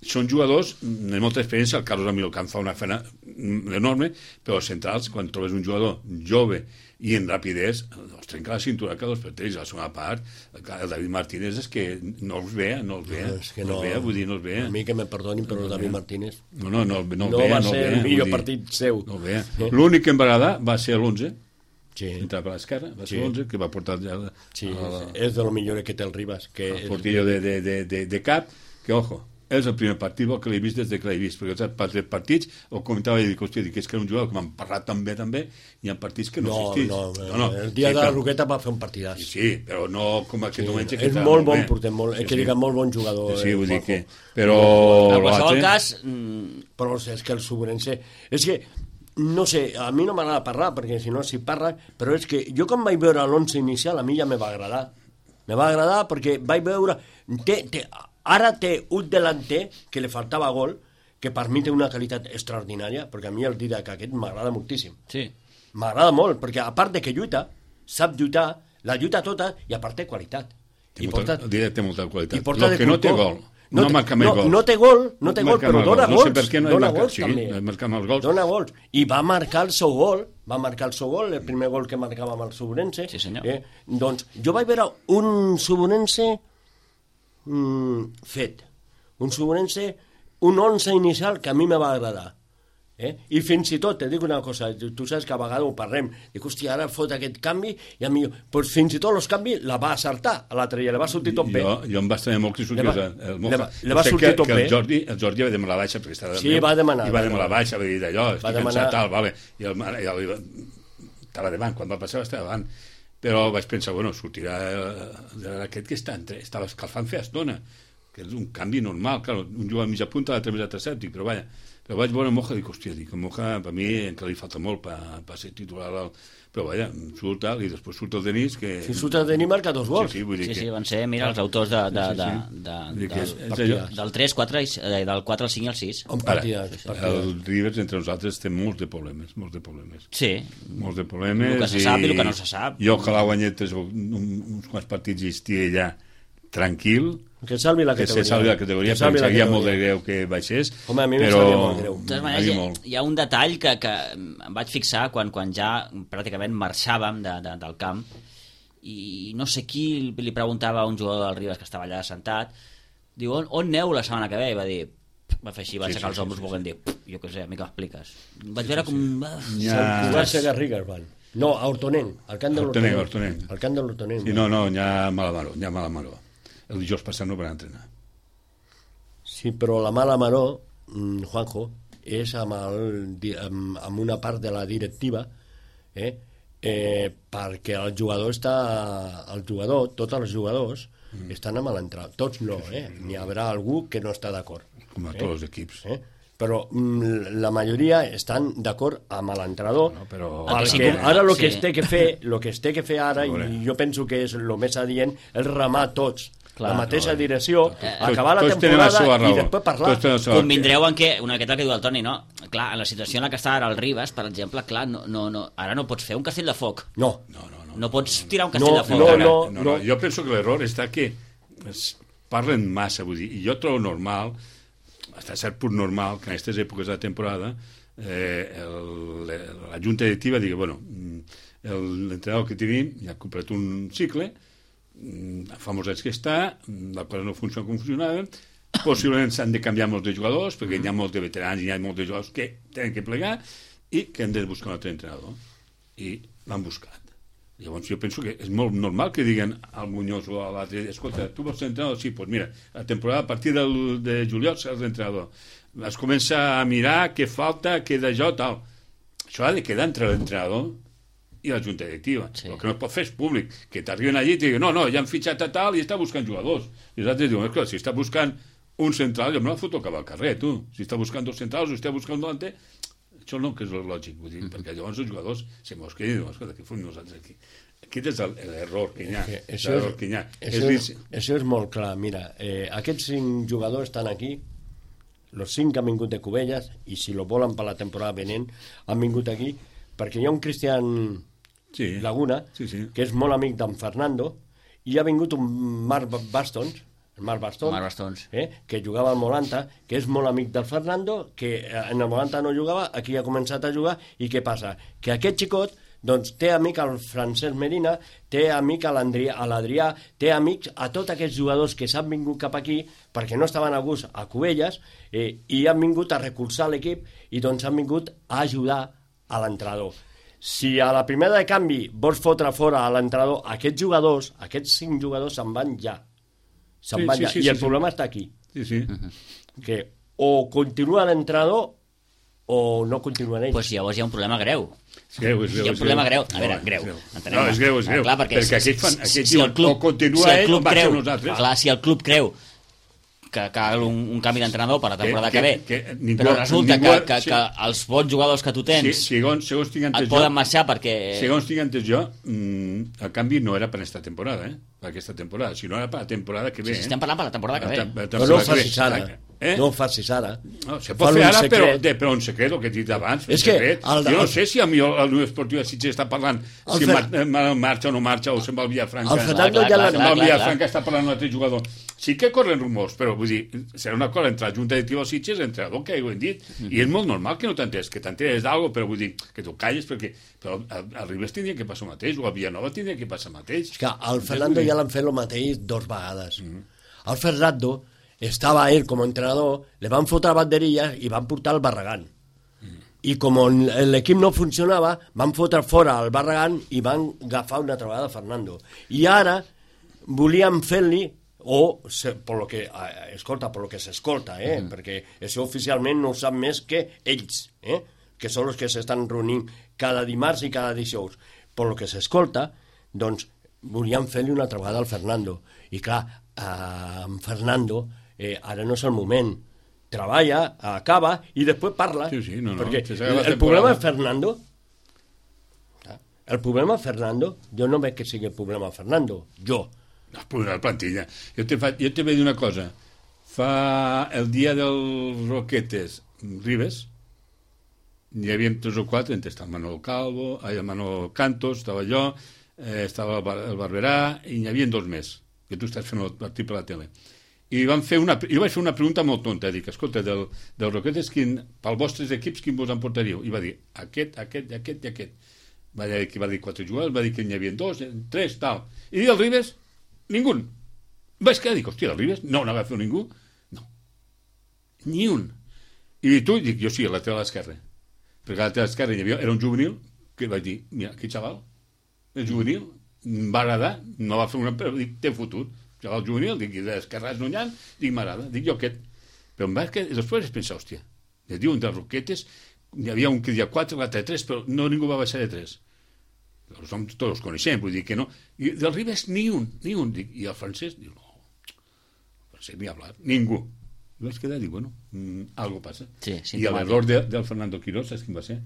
són jugadors de molta experiència. El Carlos Amilcar fa una feina enorme, però els centrals, quan trobes un jugador jove i en rapidesa, els trenca la cintura cada dos per tres. A la segona part, el David Martínez és que no els ve, no els ve, no, és que no, no els ve, vull dir, no els ve. A mi que me perdonin, però el David Martínez no, no, no, no, no ve, va no ser ve, el millor dir, partit seu. No ve. L'únic que em va agradar va ser l'onze, sí. entrar per l'esquerra, va ser Sí. l'onze, que va portar ja la, Sí, la, és de lo millor que té el Ribas, que el és... portillo de, de, de, de, de cap, que, ojo, és el primer partit que l'he vist des de que l'he vist, perquè els partits ho comentava i dic, hòstia, dic, és que era un jugador que m'han parlat tan bé, també, hi ha partits que no, No, existís. no, no, no, el dia sí, de la però- Roqueta va fer un partidàs. Sí, sí, però no com aquest Sí, diumenge. que és estava molt bon bé. porter, molt, Sí, que sí. diga molt bon jugador. Sí, sí, eh, vull dir Juanjo. que... Però... En qualsevol l'altre- cas, mm, Però és que el Sobrense... És que, no sé, a mi no m'agrada parlar, perquè si no s'hi parla, però és que jo quan vaig veure l'onze inicial, a mi ja me va agradar. Me va agradar perquè vaig veure... Té, té, ara té un delanter que li faltava gol, que per mi té una qualitat extraordinària, perquè a mi el Didac aquest m'agrada moltíssim. sí. M'agrada molt, perquè a part de que lluita, sap lluitar, la lluita tota, i a part té qualitat. Té I molta, porta, té, té molta qualitat. i porta Lo de que no té cultor. gol, no, no marca més no, gols. No té gol, no té gol, marca però més dona gols. No sé gols. per què no hi dona marca- gols, sí, també. marca més gols. Dona gols. I va marcar el seu gol, va marcar el seu gol, el primer gol que marcava amb el Sobrense. Sí, senyor. Eh? Doncs jo vaig veure un Sobrense mm, fet. Un Sobrense, un onze inicial que a mi me va agradar. Eh? I fins i tot, te dic una cosa, tu saps que a vegades ho parlem, dic, hòstia, ara fot aquest canvi, i a mi, pues, fins i tot els canvis la va acertar a l'altre, i le va sortir tot bé. Jo, jo em va estar molt que sortís Le va- el, el le va- Moja. le va Sé sortir que, tot que bé. el Jordi, el Jordi va demanar la baixa perquè estava Sí, va demanar, i va va demanar la demanar. baixa, va dir d'allò, estic Va demanar- cansat, tal, vale. I el, i el, estava davant, quan va passar va estar davant. Però vaig pensar, bueno, sortirà eh, aquest que està entre, estava escalfant fer estona, que és un canvi normal, clar, un jugador a mitja punta, l'altre més a tercer, dic, però vaja, però vaig veure Moja i dic, hòstia, dic, Moja, per mi encara li falta molt per, per ser titular, al... però vaja, surt tal, i després surt el Denis, que... Si surt el Denis marca dos gols. Sí, sí, vull dir Sí, que... sí, van ser, mira, els autors de, de, Sí, sí, de, sí. de, Vull dir de, que del, és- és allò. del tres, quatre, i- eh, del quatre al cinc i al sis. Un Ara, partidàs. el Rivers entre nosaltres té molts de problemes, molts de problemes. Sí, Molts de problemes. El que se sap i el que no se sap. Jo ojalà guanyés uns quants partits i estigui allà tranquil, Que salvi la que categoria. se salvi la categoria, Que salvi perquè la seria molt de categoria. greu que baixés. Home, a mi em però... sabria molt greu. de totes A mi maneres, hi, molt. hi ha un detall que, que em vaig fixar quan, quan ja pràcticament marxàvem de, de, del camp, i no sé qui li preguntava a un jugador del Ribas que estava allà sentat, diu, on, on aneu la setmana que ve? I va dir, va fer així, va Sí, aixecar sí, els ombros sí, sí, volent dir, jo què sé, a mi que m'expliques. Vaig veure com... ah, Ja... Sant Cugat de Garrigues van. No, a Hortonenc, al camp de Hortonenc, l'Hortonenc. Hortonenc. Al camp de l'Hortonenc. Sí, no, no, hi ha mala maró, hi ha mala maró. El dijous passat no van entrenar. Sí, però la mala maró, mm, Juanjo, és amb, el, di- amb, amb una part de la directiva, eh? Eh, perquè el jugador està... El jugador, tots els jugadors, mm. estan amb l'entrenador. Tots no, eh? N'hi haurà algú que no està d'acord. Com a Eh? tots els equips. Eh? Però mm, la majoria estan d'acord amb l'entrenador, No, però... El que sí perquè que- ara el que sí. es té que fer, el que es té que fer ara, A veure. i jo penso que és el més adient, és remar tots Clar, la mateixa no, direcció, eh, acabar la tots tenen la temporada seva i raó. després parlar. Tots tenen la seva- Convindreu en que, una miqueta el que diu el Toni, no? Clar, en la situació en la que està ara el Ribas, per exemple, clar, no, no, no, ara no pots fer un castell de foc. No, No, no, no. No pots tirar un castell No, de foc. no, ara. no. no, no. Jo penso que l'error està que es parlen massa, vull dir, i jo trobo normal, hasta cert punt normal, que en aquestes èpoques de la temporada eh, el, la junta directiva digui, bueno, l'entrenador que tenim ja ha comprat un cicle, fa molts anys que està, la cosa no funciona com funcionava, possiblement s'han de canviar molts de jugadors, perquè hi ha molts de veterans i hi ha molts de jugadors que tenen que plegar i que han de buscar un altre entrenador. I l'han buscat. Llavors jo penso que és molt normal que diguen al Muñoz o a l'altre, escolta, tu vols ser entrenador? Sí, doncs mira, la temporada a partir del, de juliol seràs l'entrenador. Es comença a mirar què falta, què d'això, tal. Això ha de quedar entre l'entrenador i la junta directiva. Sí. El que no es pot fer és públic, que t'arriben allí i et diguen, no, no, ja han fitxat a tal i està buscant jugadors. I els altres diuen, escolta, si està buscant un central, jo me la foto cap al carrer, tu. Si està buscant dos centrals o està buscant un delanter, això no que és el lògic, vull dir, mm -hmm. perquè llavors els jugadors se mos queden i diuen, escolta, què fem nosaltres aquí? Aquest és el- l'error que hi ha. Que això, L'error és, que hi ha. això, És és, això és molt clar. Mira, eh, aquests cinc jugadors estan aquí, els cinc han vingut de Cubelles, i si lo volen per la temporada venent, han vingut aquí, perquè hi ha un Cristian Sí. Laguna, Sí, sí. que és molt amic d'en Fernando, i ha vingut un Marc Bastons, el Marc Bastons, Marc Bastons. Eh, que jugava al Molanta, que és molt amic del Fernando, que en el Molanta no jugava, aquí ha començat a jugar, i què passa? Que aquest xicot doncs té amic al Francesc Medina, té amic a l'Adrià, té amics a tots aquests jugadors que s'han vingut cap aquí perquè no estaven a gust a Cubelles eh, i han vingut a recolzar l'equip i doncs han vingut a ajudar a l'entrenador. Si a la primera de canvi vols fotre fora a l'entrenador, aquests jugadors, aquests cinc jugadors se'n van ja. Se'n sí, van sí, ja. sí, I sí, el sí. problema està aquí. Sí, sí. Que o continua l'entrenador o no continuen ells. Pues llavors hi ha un problema greu. És greu, és greu. Hi ha un problema greu. A veure, No, greu. és No, és greu, és greu. Clar, perquè, perquè si, aquests fan, si, aquests si el diuen, club, o continua si el ell o club marxa creu, nosaltres. clar, si el club creu que cal un, un canvi d'entrenador per la temporada que, Que- que, que- ve, que ningú- però resulta ningú- que, que, sí. que els bons jugadors que tu tens Sí, segons, segons tinc entès et poden jo, marxar perquè... segons tinc entès jo, mm, el canvi no era per aquesta temporada, eh? Per aquesta temporada, sinó era per la temporada que ve. Sí, estem parlant per la temporada que ve. La tem- la Però no ho temporada que ve. facis ara. Eh? No ho facis ara. No, se Fan pot fer un ara, però, secret. de, però un secret, el que he dit abans. És un que secret. el- jo no el- sé si a mi el, el Unió Esportiva de Sitges està parlant El si Fer- mar, mar, marxa o no marxa, o se'n va al Villafranca. El Fernando clar, ja clar, l'ha... Se'n va al Villafranca, està parlant un altre jugador. Sí que corren rumors, però vull dir, serà una cosa entre la Junta Directiva de Sitges, entre el que ho hem dit, mm -hmm. i és molt normal que no t'entens, que t'enteres d'algo, però vull dir, que tu calles, perquè però al, al Ribes tindria que passar el mateix, o a Villanova tindria que passar el mateix. És que al Fernando ja l'han fet el mateix dos vegades. Mm -hmm. Al Fernando estava ell com a entrenador, le van fotre banderilles i van portar el Barragán. Mm. I com l'equip no funcionava, van fotre fora el Barragán i van agafar una altra vegada Fernando. I ara volíem fer-li, o, se, por lo que, eh, escolta, por lo que s'escolta, eh? Mm. perquè això oficialment no ho sap més que ells, eh? que són els que s'estan reunint cada dimarts i cada dijous. Per lo que s'escolta, doncs, volíem fer-li una altra vegada al Fernando. I clar, eh, amb Fernando eh, ara no és el moment. Treballa, acaba i després parla. Sí, sí, no, no, perquè que s'acaba la el temporada. problema és Fernando. El problema Fernando, jo no veig que sigui el problema Fernando, jo. No, pues la plantilla. Jo te, fa, jo te vaig dir una cosa. Fa el dia dels Roquetes Ribes, hi havia tres o quatre, entre estava el Manolo Calvo, el Manolo Cantos, estava jo, eh, estava el, Bar, el Barberà, i n'hi havia dos més, que tu estàs fent el partit per la tele. I van fer una, jo vaig fer una pregunta molt tonta, dic, escolta, del, del Roquetes, quin, pels vostres equips, quin vos emportaríeu? I va dir, aquest, aquest, aquest i aquest. Va dir que va dir quatre jugadors, va dir que n'hi havia dos, tres, tal. I del Ribes, ningú. Vaig quedar, dic, hòstia, del Ribes no n'ha fet ningú. No. Ni un. I tu, dic, jo sí, a la teva a l'esquerra. Perquè a la teva esquerra hi havia, era un juvenil, que vaig dir, mira, aquest xaval, el juvenil, em va agradar, no va fer una... però dic, té futur. Xaval juvenil, dic, i d'esquerra és Nollan, dic, m'agrada, dic, jo aquest. Però em va quedar, després vaig pensar, hòstia, ja diuen dels Roquetes, hi havia un que deia quatre, l'altre tres, però no ningú va baixar de tres. Però som, tots els coneixem, vull dir que no. I del Ribes ni un, ni un. Dic, i el francès, diu, no, el francès ni hablar, ningú. I vaig quedar, dic, bueno, mm, algo passa. Sí, I l'error de, del Fernando Quirós, saps quin va ser?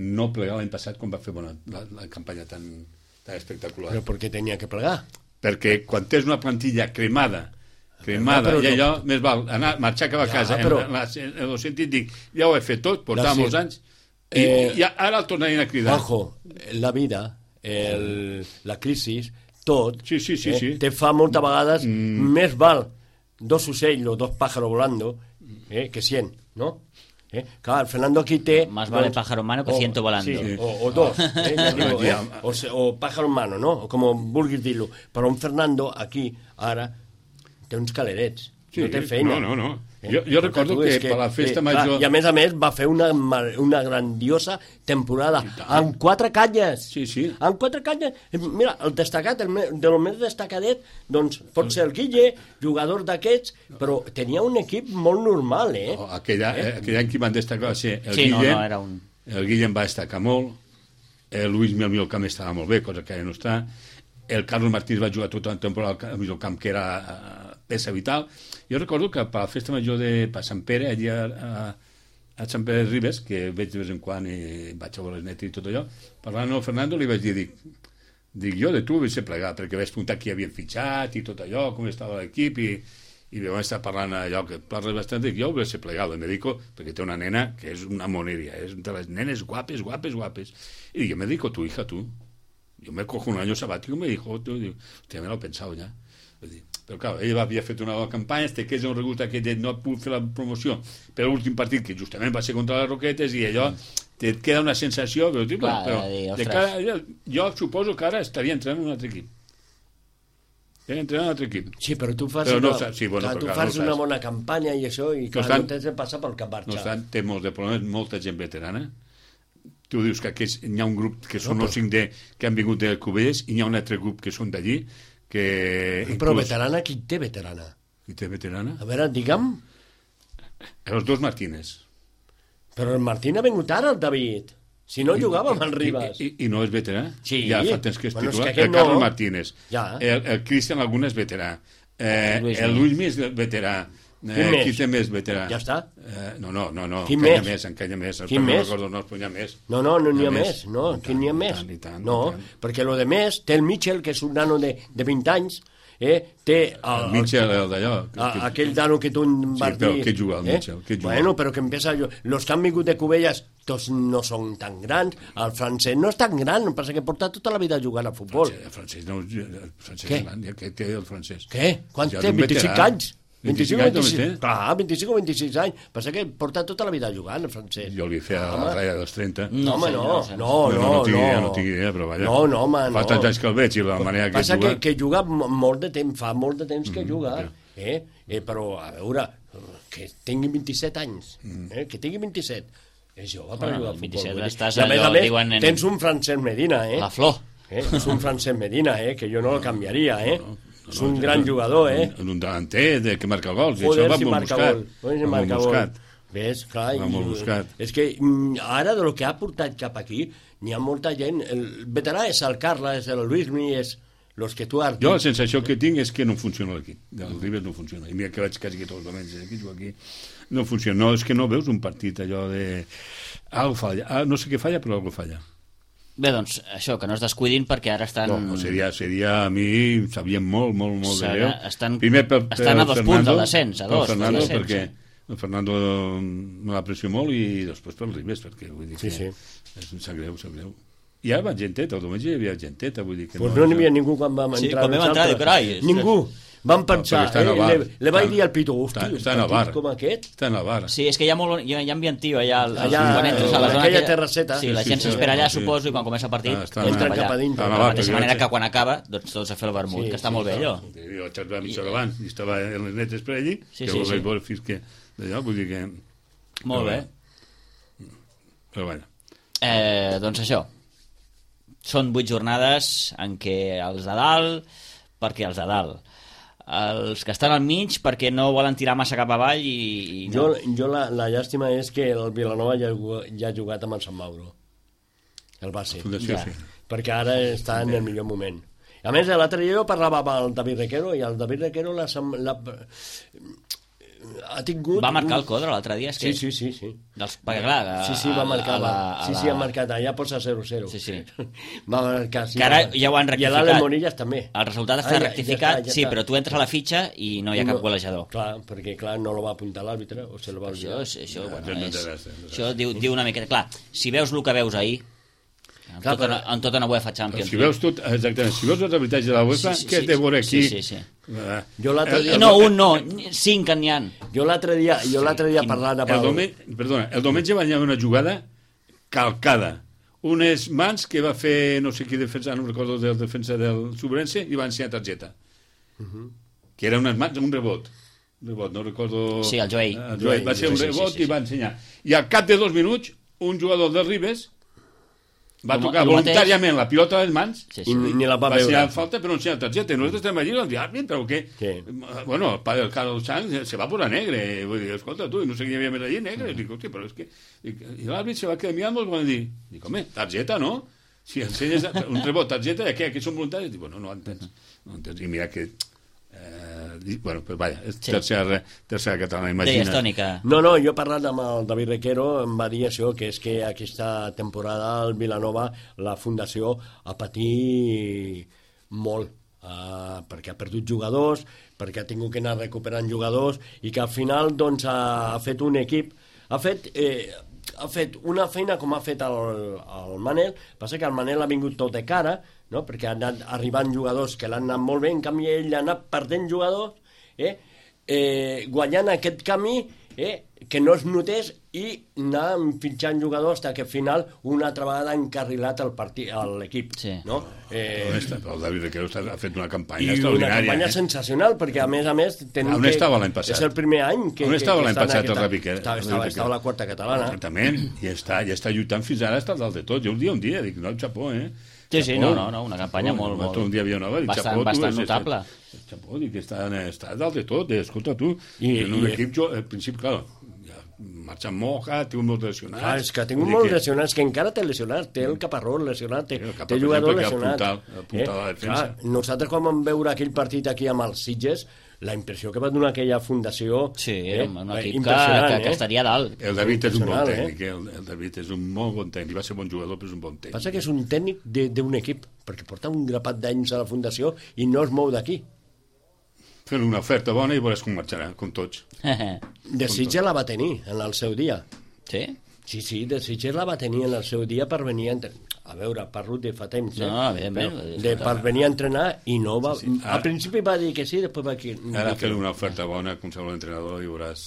No plegar l'any passat quan va fer bona, la, la campanya tan, tan espectacular. Però per què tenia que plegar? Perquè quan tens una plantilla cremada, cremada, però i no- allò, més val anar, marxar cap a Ja, casa, però- en, en, en el sentit, dic, ja ho he fet tot, portava Ja, sí. molts anys, i, Eh, i ara el tornarien a cridar. Ojo, la vida, el, la crisi, tot, Sí, sí, sí, eh, sí. te fa moltes vegades Mm. més val dos ocells o dos pájaros volando eh, que cien, ¿no? Eh? Clar, el Fernando aquí té... Más vale pájaro en mano que o- ciento volando. Sí, Sí. o, o dos, eh, ja digo, eh? Ja. o, se- o pájaro en mano, no? O com vulguis dir-lo. Però un Fernando aquí, ara, té uns calerets, Sí, no té feina. no, no, no. Eh? Jo, jo recordo Tu, que, és per la festa eh, major... clar, I a més a més va fer una, mar- una grandiosa temporada amb quatre canyes. Sí, sí. Amb quatre canyes. Eh, Mira, el destacat, el me- de lo més destacadet, doncs pot ser el Guille, jugador d'aquests, però tenia un equip molt normal, eh? Oh, aquell, eh? aquell any que van destacar va ser el Sí, no, Guillem, no, era un... el Guillem va destacar molt, el Luis Miel Camp estava molt bé, cosa que ara no està, el Carlos Martínez va jugar tota la temporada al mig camp, que era uh, peça vital. Jo recordo que per la festa major de per Sant Pere, allà a, a Sant Pere de Ribes, que veig de vez en quan i vaig a veure les netes i tot allò, parlant amb el Fernando li vaig dir, dic, dic jo de tu vaig ser plegat, perquè vaig preguntar qui havien fitxat i tot allò, com estava l'equip, i, i vam estar parlant allò que parles bastant, dic, jo vaig ser plegat, me dedico, perquè té una nena que és una moneria, és de les nenes guapes, guapes, guapes, i dic, me dedico a tu hija, tu. Yo me cojo un año sabático y me dijo, tú, digo, hostia, me lo he pensado ya. Però clar, ell havia fet una bona campanya, este que és un regust que no ha pogut fer la promoció per l'últim partit, que justament va ser contra les Roquetes, i allò et queda una sensació, però, tio, clar, però dir, de cara, jo, jo suposo que ara estaria entrant en un altre equip. Estaria entrant en un altre equip. Sí, però tu fas, però no, una, sí, bueno, clar, tu clar, fas no una bona campanya i això, i clar, no, no tens de passar pel cap marxar. No obstant, té molts de problemes, molta gent veterana. Tu dius que aquests, hi ha un grup que són no, però... els cinc D que han vingut de Cubelles, i hi ha un altre grup que són d'allí, que... Però inclús... veterana, qui té veterana? Qui té veterana? A veure, digue'm... Els dos Martínez. Però el Martín ha vingut ara, el David. Si no, I, jugava amb el Ribas. I, i, I no és veterà? Sí. Ja fa temps que és bueno, titular. És que el Carlos no... Martínez. Ja. El, el Cristian Laguna és veterà. Eh, Luis el Luis més veterà. Eh, qui té més veterà? Ja està. Eh, no, no, no, no. Quin encanya més? més, encanya més. Quin no més? Recordo, no, n'hi ha més. No, no, no n'hi ha més. més. No, quin n'hi ha més? Tant, i tant, no, i tant. perquè lo de més té el Mitchell, que és un nano de, de vint anys, eh, té... El, el Mitchell, el d'allò. Aquell nano que tu en vas dir... Sí, però què juga el Mitchell? Eh? Bueno, però que empieza... Los que han vingut de Cubelles, tots no són tan grans. El francès no és tan gran, em passa que porta tota la vida jugant a futbol. El francès no el francès Què? és gran, què té el francès? Què? Quant Ja té? és un vint-i-cinc veterà. anys? vint-i-cinc o vint-i-cinc vint-i-sis? Clar, vint-i-cinc o vint-i-sis anys. Passa que porta tota la vida jugant, el francès. Jo li feia a la ratlla dels trenta. No, home, no, no, no, no, no, tinc no. idea, no tinc idea, però vaja. No, no, home, no. Fa tants anys que el veig i la manera que Passa juga... que, que juga molt de temps, fa molt de temps que Mm, juga, ja. eh? eh? Però, a veure, que tingui vint-i-set anys, eh? que tingui vint-i-set. És jove per Bueno, jugar a futbol. vint-i-set vull dir. estàs I a més allò, a més, diuen en- tens un Francesc Medina, eh? La flor. eh? És un Francesc Medina, eh? Que jo no el canviaria, eh? No, no, És un no, gran no, jugador, eh? Un, un delanter de, que marca gols. i Joder, això va si molt marca buscat. gol. Joder, si Va molt marca gol. buscat. Ves, clar, Va molt buscat. és que mm, ara de lo que ha portat cap aquí n'hi ha molta gent, el veterà és el Carla, és el Luismi, és los que tu has dit. Jo la sensació que tinc és que no funciona l'equip. El Ribes no funciona. I mira que vaig quasi que tots els diumenges aquí, jugo aquí. No funciona. No, és que no veus un partit allò de... Algo falla. Ah, no sé què falla, però algo falla. Bé, doncs, això, que no es descuidin perquè ara estan... No, no seria, seria a mi, sabíem molt, molt, molt de Serà- greu. estan- Primer per, per estan a dos Fernando, punts del descens, a per dos del Fernando, descens, perquè sí. el Fernando me l'aprecio molt i després pel Ribes, perquè vull dir Sí, que sí. és, sap greu, sap greu. I ara va genteta, el diumenge hi havia genteta, vull dir que Pues no n'hi és- havia ningú quan vam Sí, entrar. quan vam entrar, nosaltres. carai, és- Ningú. Vam pensar, perquè està en eh? el bar. Le, le vaig Està- dir al Pito, hosti, està- un està en el partit bar. com aquest... Està en la vara. Sí, és que hi ha, molt, hi ha, hi ha ambient tio allà, al- Allà, quan entres a la en zona... aquella aquella- terrasseta. Sí, la Sí, gent sí, s'espera allà, sí. suposo, i quan comença el partit, Ah, està entren Entren cap cap a allà. dintre. Està en De la la vara, mateixa perquè manera vaig- que quan acaba, doncs tots a fer el vermut, Sí, que està sí, molt bé, clar. allò. Jo vaig arribar mitja hora abans i estava en les netes per allí, Sí, que sí, ho vaig sí. veure fins que... D'allò, vull dir que... Molt bé. Però bueno. Eh, doncs això, són vuit jornades en què els de dalt, perquè els de dalt, els que estan al mig perquè no volen tirar massa cap avall i, i no. Jo, jo la, la llàstima és que el Vilanova ja, ha jugat- ja ha jugat amb el Sant Mauro, el base, Fundació, Ja. sí. perquè ara està en el millor moment. A més, l'altre dia jo parlava amb el David Requero i el David Requero la, la, ha tingut... Va marcar un- el Codro l'altre dia, és que... Sí, sí, sí, sí. Dels, perquè clar, a, Sí, sí, va marcar. a la, va. a Sí, la... sí, ha marcat. Allà posa zero zero. Sí, sí. Va marcar, sí. Que ara va. ja ho han I rectificat. l'Alen Morillas també. El resultat està Ah, ja- ja rectificat, està, ja sí, està. però tu entres a la fitxa i no hi ha No, cap golejador. Clar, perquè clar, no lo va apuntar l'àrbitre o se lo va Això, olvidar. és, això, No, bueno, no és, interessa, no interessa. això diu, diu una miqueta... Clar, si veus el que veus ahir, en, Clar, tota, però- una, en tota una UEFA Però Champions si veus tot, exactament, si veus els arbitatges de la UEFA, Sí, sí, què sí, té a veure aquí? sí, sí, sí. Eh, Jo l'altre dia- el- No, el- un no, cinc que n'hi ha. Jo l'altre dia, jo l'altre dia quin- parlant amb El el... diumenge, perdona, el diumenge va haver una jugada calcada. Unes mans que va fer, no sé qui defensa, no recordo del defensa del Subrense, i va ensenyar targeta. Que era unes mans, un rebot. Un rebot, no recordo... Sí, el Joey. El Joey. Va ser un Sí, sí, sí, rebot sí, sí. i va ensenyar. I al cap de dos minuts, un jugador del Ribes va Com- tocar el mateix. voluntàriament la pilota a les mans, Sí, I sí. ni la va va veure. ensenyar falta però no ensenyar targeta. I nosaltres estem allí i vam dir, ah, però què? Què? Bueno, el pare del Carlos Sanz se va posar negre. Vull dir, escolta, tu, no sé qui hi havia més allí, negre. Dic, hòstia, però és que... Dic, I l'àrbit se va quedar mirant molt quan dir, dic, home, targeta, no? Si ensenyes un rebot, targeta, què? Aquí són voluntaris? Dic, bueno, no ho entens. No ho entens. I mira que... Eh, dic, bueno, pues vaya, és Sí. tercera, tercera catalana, Deies, imagina. Tònica. No, no, jo parlant amb el David Requero em va dir això, que és que aquesta temporada el Vilanova, la Fundació, ha patit molt, uh, perquè ha perdut jugadors, perquè ha tingut que anar recuperant jugadors, i que al final doncs, ha, ha fet un equip, ha fet... Eh, ha fet una feina com ha fet el, el Manel, passa que el Manel ha vingut tot de cara, no? Perquè han anat arribant jugadors que l'han anat molt bé, en canvi ell ha anat perdent jugadors, eh? Eh, guanyant aquest camí, eh? Que no es notés i anar fitxant jugadors fins que al final una altra vegada ha encarrilat el partit, l'equip. Sí. No? Eh, el David Requero ha fet una campanya i extraordinària. una campanya eh? sensacional, perquè a més a més... On estava l'any passat? És el primer any que... On estava que, que l'any passat el David Requero? Estava, estava, estava a la quarta catalana. Exactament, i està, i està lluitant fins ara, està dalt de tot. Jo un dia, un dia, dic, no, xapó, eh? Sí, sí, no, no, no, una campanya molt, molt... Un dia havia una dic, bastant, xapó, bastant tu, notable. Xapó, dic, està, està dalt de tot, eh? Escolta, tu, I, en un i, equip, jo, al principi, clar, marxa Moja, té un molt lesionats... Clar, és que ha tingut molts lesionats, que encara té lesionats, té el Caparrós lesionat, té, el té jugador lesionat. Apuntar, apuntar eh? la defensa. Clar, nosaltres quan vam veure aquell partit aquí amb els Sitges, la impressió que va donar aquella fundació... Sí, eh? un equip que, que, que estaria dalt. El David és un bon tècnic, eh? el, el David és un molt bon tècnic, va ser bon jugador, però és un bon tècnic. Passa que és un tècnic d'un equip, perquè porta un grapat d'anys a la fundació i no es mou d'aquí. Fent una oferta bona i veuràs com marxarà, com tots. De Sitges la va tenir en el seu dia. Sí? Sí, sí, de Sitges la va tenir en el seu dia per venir a entrenar. A veure, parlo de fa temps, eh? No, evidentment. De, per venir a entrenar i no va... Sí, sí. Ara, al principi va dir que sí, després va dir... Ara fer una oferta bona com qualsevol entrenador i veuràs...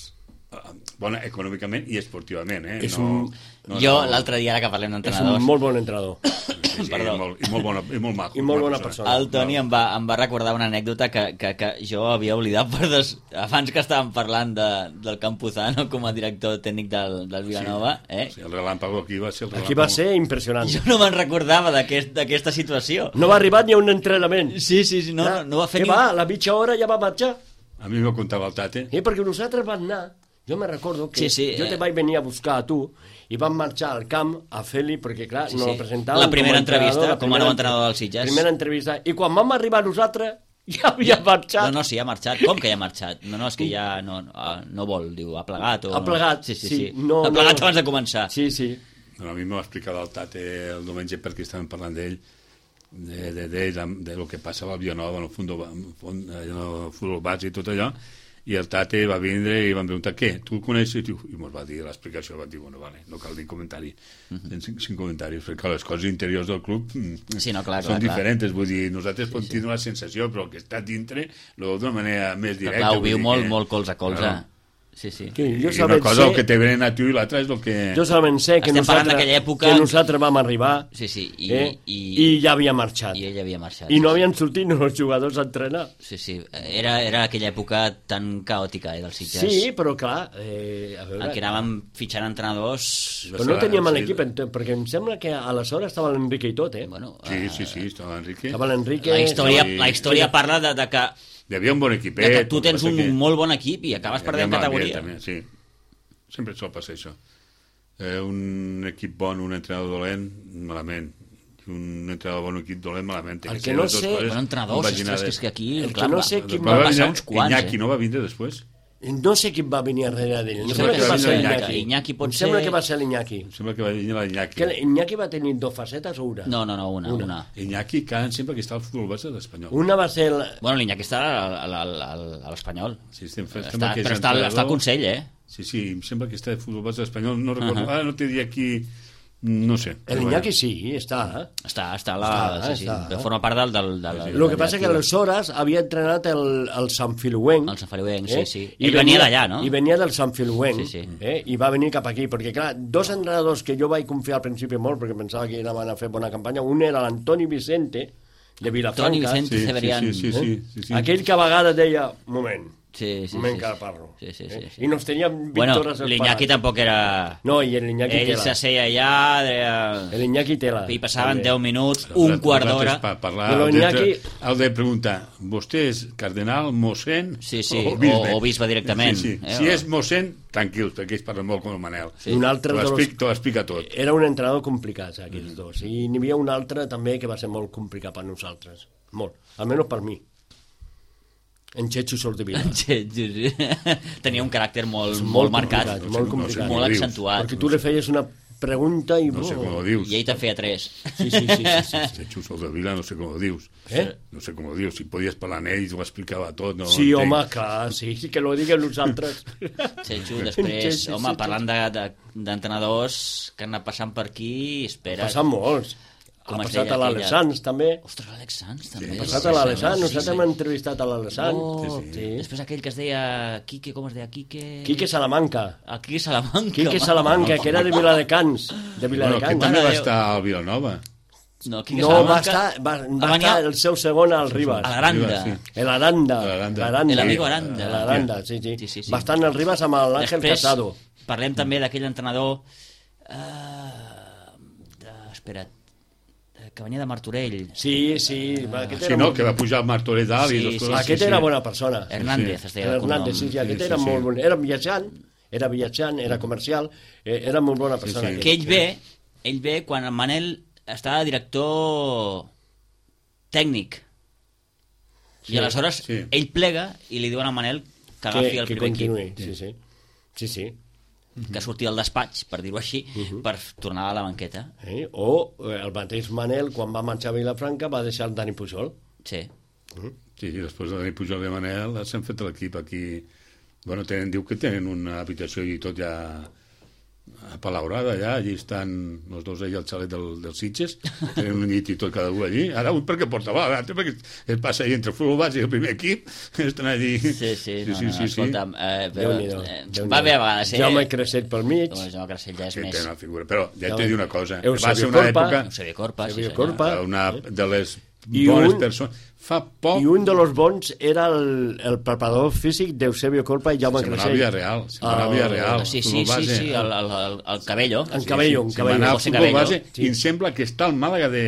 Bona econòmicament i esportivament, eh? És no, un... no, jo, no, l'altre dia, ara que parlem És d'entrenadors... un molt bon entrenador. Sí, sí, i, molt, i molt bona, i molt maco. I molt bona persona. El Toni em va, em va recordar una anècdota que, que, que jo havia oblidat per des... abans que estàvem parlant de, del Campuzano com a director tècnic del, del Vilanova. Sí, eh? sí, el relàmpago aquí va ser el relàmpago. Aquí va ser impressionant. Jo no me'n recordava d'aquesta aquest, situació. No va arribar ni a un entrenament. Sí, sí, sí, no, Ja, no va fer què ni... va? A la mitja hora ja va marxar. A mi m'ho contava el Tate. Eh, perquè nosaltres vam anar... Jo me recordo que Sí, sí, jo eh. te vaig venir a buscar a tu i vam marxar al camp a fer-li, perquè clar, Sí, no sí. el presentàvem La primera com a entrenador, entrevista, la com a primera nou entrenador del Sitges. Primera entrevista. I quan vam arribar nosaltres, ja havia marxat. No, no, sí, ha marxat. Com que ja ha marxat? No, no, és que ja no, no, no vol, diu, ha plegat o... Ha plegat, sí, sí, sí, sí. no, ha plegat no. abans de començar. Sí, sí. No, a mi m'ho va explicar el Tate el diumenge perquè estàvem parlant d'ell, de, de, de, de, de lo que passava al Vilanova en el futbol, en el futbol base i tot allò, i el Tate va vindre i van preguntar què, tu el coneixes? I mos va dir l'explicació, va dir, bueno, vale, no cal dir comentari, uh -huh. sin, sin comentaris, perquè les coses interiors del club sí, no, clar, són clar, diferents, clar. vull dir, nosaltres sí, pot tenir sí. una sensació, però el que està dintre lo d'una manera més directa. Clar, ho viu molt, que, molt colze a colze. Claro. Sí, sí. Que jo I una cosa sé... el que te venen a tu i l'altra és el que... Jo solament sé que Estem parlant nosaltres, d'aquella època... que nosaltres vam arribar Sí, sí, i, eh? i, i ja havia marxat. I ell havia marxat. I no sí, havien sortit els jugadors a entrenar. Sí, sí, era, era aquella època tan caòtica, eh, dels Sitges. Sí, però clar, eh, a veure... En què anàvem fitxant entrenadors... Però no teníem l'equip, perquè em sembla que aleshores estava l'Enrique i tot, eh? Bueno, Sí, eh, sí, sí, estava l'Enrique. Estava l'Enrique... la història, sí. la història parla de, de que Hi havia un bon equipet. de que tu tens el que un passa que- molt bon equip i acabes Hi perdent havia categoria. malament, també, sí. Sempre et sol passar això. Eh, un equip bon, un entrenador dolent, malament. I un entrenador bon, un equip dolent, malament. Té El que que ser no les dues sé- coses Bueno, entrenadors, compaginades. ostres, que és que aquí... El que clar, no va- sé qui Va van venir passar uns quants, Iñaki, eh? no va vindre després? No sé qui va venir darrere d'ell. Em Sembla sembla que que va va ser venir l'Iñaki. Iñaki pot Em sembla ser- que va ser l'Iñaki. Em sembla que va venir l'Iñaki. Que l'Iñaki va tenir dos facetes o una? No, no, no, una, Una. una. Iñaki, que em sembla que està al futbol base de l'Espanyol. Una va ser... La... Bueno, l'Iñaki està al- al- al- a l'Espanyol. Sí, estem fent, Està, però està, al- està al Consell, eh? Sí, sí, em sembla que està de futbol base de l'Espanyol. No recordo, Uh -huh. ara no t'he dit aquí... No sé. L'Iñaki sí, està. Eh? Està, està, a la, Està, sí, sí, està. de forma part del... del, del, Sí, sí. El que passa que aleshores havia entrenat el, el Sant Filuenc. El Sant Feliuenc, sí, sí. I Ell venia d'allà, no? I venia del Sant Filuenc. Sí, sí. Eh? I va venir cap aquí, perquè clar, dos entrenadors que jo vaig confiar al principi molt, perquè pensava que anaven a fer bona campanya, un era l'Antoni Vicente, de Vilafranca. Toni Vicente Sí, sí, Severian. sí, sí, sí, sí, sí. Aquell que a vegades deia, un moment, Sí, sí, un moment sí, que ara sí. parlo. Sí, sí, sí, Eh? sí. I nos teníem Bueno, victores l'Iñaki tampoc era... No, i l'Iñaki Ell tela. s'asseia allà, deia... L'Iñaki tela. i passaven també. deu minuts, un quart d'hora... Per parlar, Però el de, Iñaki- el de preguntar, vostè és cardenal, mossèn Sí, sí, o bisbe? o- o bisbe directament, Sí, sí. eh, Si o- és mossèn, tranquils, perquè ells parlen molt com el Manel. Sí. Un altre T'ho de los- explica, t'ho explica tot. Era un entrenador complicat, aquells dos. I n'hi havia un altre també que va ser molt complicat per nosaltres. Molt. Almenys per mi. En Chechu Soldevila. Sí, sí, sí. Tenia un caràcter molt, molt, Molt marcat, complicat, No sé, molt no sé complicat. com molt ho dius. accentuat. Perquè tu li feies una pregunta i... No sé com ho dius. I ell te'n feia tres. Sí, sí, sí. sí, sí. De Xus Vila, no sé com ho dius. Eh? No sé com ho dius. Si podies parlar amb ell, ho explicava tot. No Sí, entenc. home, clar, sí, sí que lo diguem nosaltres. Setxo, després, Sí, sí, home, sí, parlant de- de- d'entrenadors que han anat passant per aquí, espera... Passen molts. Com Ha es passat deia a l'Alessans, també. Ostres, l'Àlex Sanz, també. Sí, Ha ha passat Sí, a sí, l'Alessans, sí, nosaltres sí. hem entrevistat a l'Alessans. Oh, Sí, sí. Després aquell que es deia Quique, com es deia? Quique... Quique Salamanca. El Quique Salamanca. Quique home. Salamanca, que era de Viladecans. De Bueno, que Viladecans. també va Déu. estar al Vilanova. No, Quique No, va Salamanca... estar, va, va va venir estar el seu segon al Ribas. a l'Aranda. Sí. El Aranda. El Aranda. l'Aranda. El amigo Aranda. L'Aranda, sí, sí. Sí, sí, sí. Va estar en el Ribas amb l'Àngel Després, Casado. parlem també d'aquell entrenador... Uh, de, espera't, de, que venia de Martorell. Sí, sí. va, Aquest Sí, era, no, molt- que va pujar al Martorell dalt i Sí, dos sí, coses. aquest sí, era sí. bona persona. Hernández, Sí. es deia El de cognom. Hernández, sí, sí, aquest Sí, era sí, molt sí. bon. Era viatjant, era viatjant, era comercial, eh, era molt bona persona. sí. aquest. Que ell ve, ell ve quan en Manel estava director tècnic. Sí, I aleshores sí. ell plega i li diuen a Manel que agafi que, el que primer continuï, equip, sí, sí. Sí, sí. que surti del despatx, per dir-ho així, per tornar a la banqueta. Eh? O eh, el mateix Manel, quan va marxar a Vilafranca, va deixar el Dani Pujol. Sí. Sí, i després de Dani Pujol i Manel s'han fet l'equip aquí. Bueno, tenen, diu que tenen una habitació i tot ja apalaurada allà, allí estan els dos allà al xalet del, dels Sitges, tenen un llit i tot cada un allí, ara un perquè porta va, l'altre perquè es passa allà entre el futbol base i el primer equip, estan allí... Sí, sí, sí, no, sí, no, sí, escolta'm, eh, però, Déu-n'hi-do. eh, Déu-n'hi-do. va bé a vegades, eh? Jaume Creixell pel mig. No, Jaume Creixell ja és Sí, més... té una figura, però ja Ja t'he ho- dit una cosa, Eusebio va ser una Corpa. època, Eusebio Corpa, sí, Eusebio senyor. Corpa. una de les I bones un- persones. Fa poc I un de los bons era el, el preparador físic d'Eusebio Corpa i Jaume se m'anava a Creixell. Villarreal, se m'anava a El- Villarreal. Sí, sí, futbol sí, base. sí, el, el, el, el Cabello. En Cabello, en Sí, Cabello. m'anava al José futbol Cabello. base Sí. i em sembla que està al Màlaga de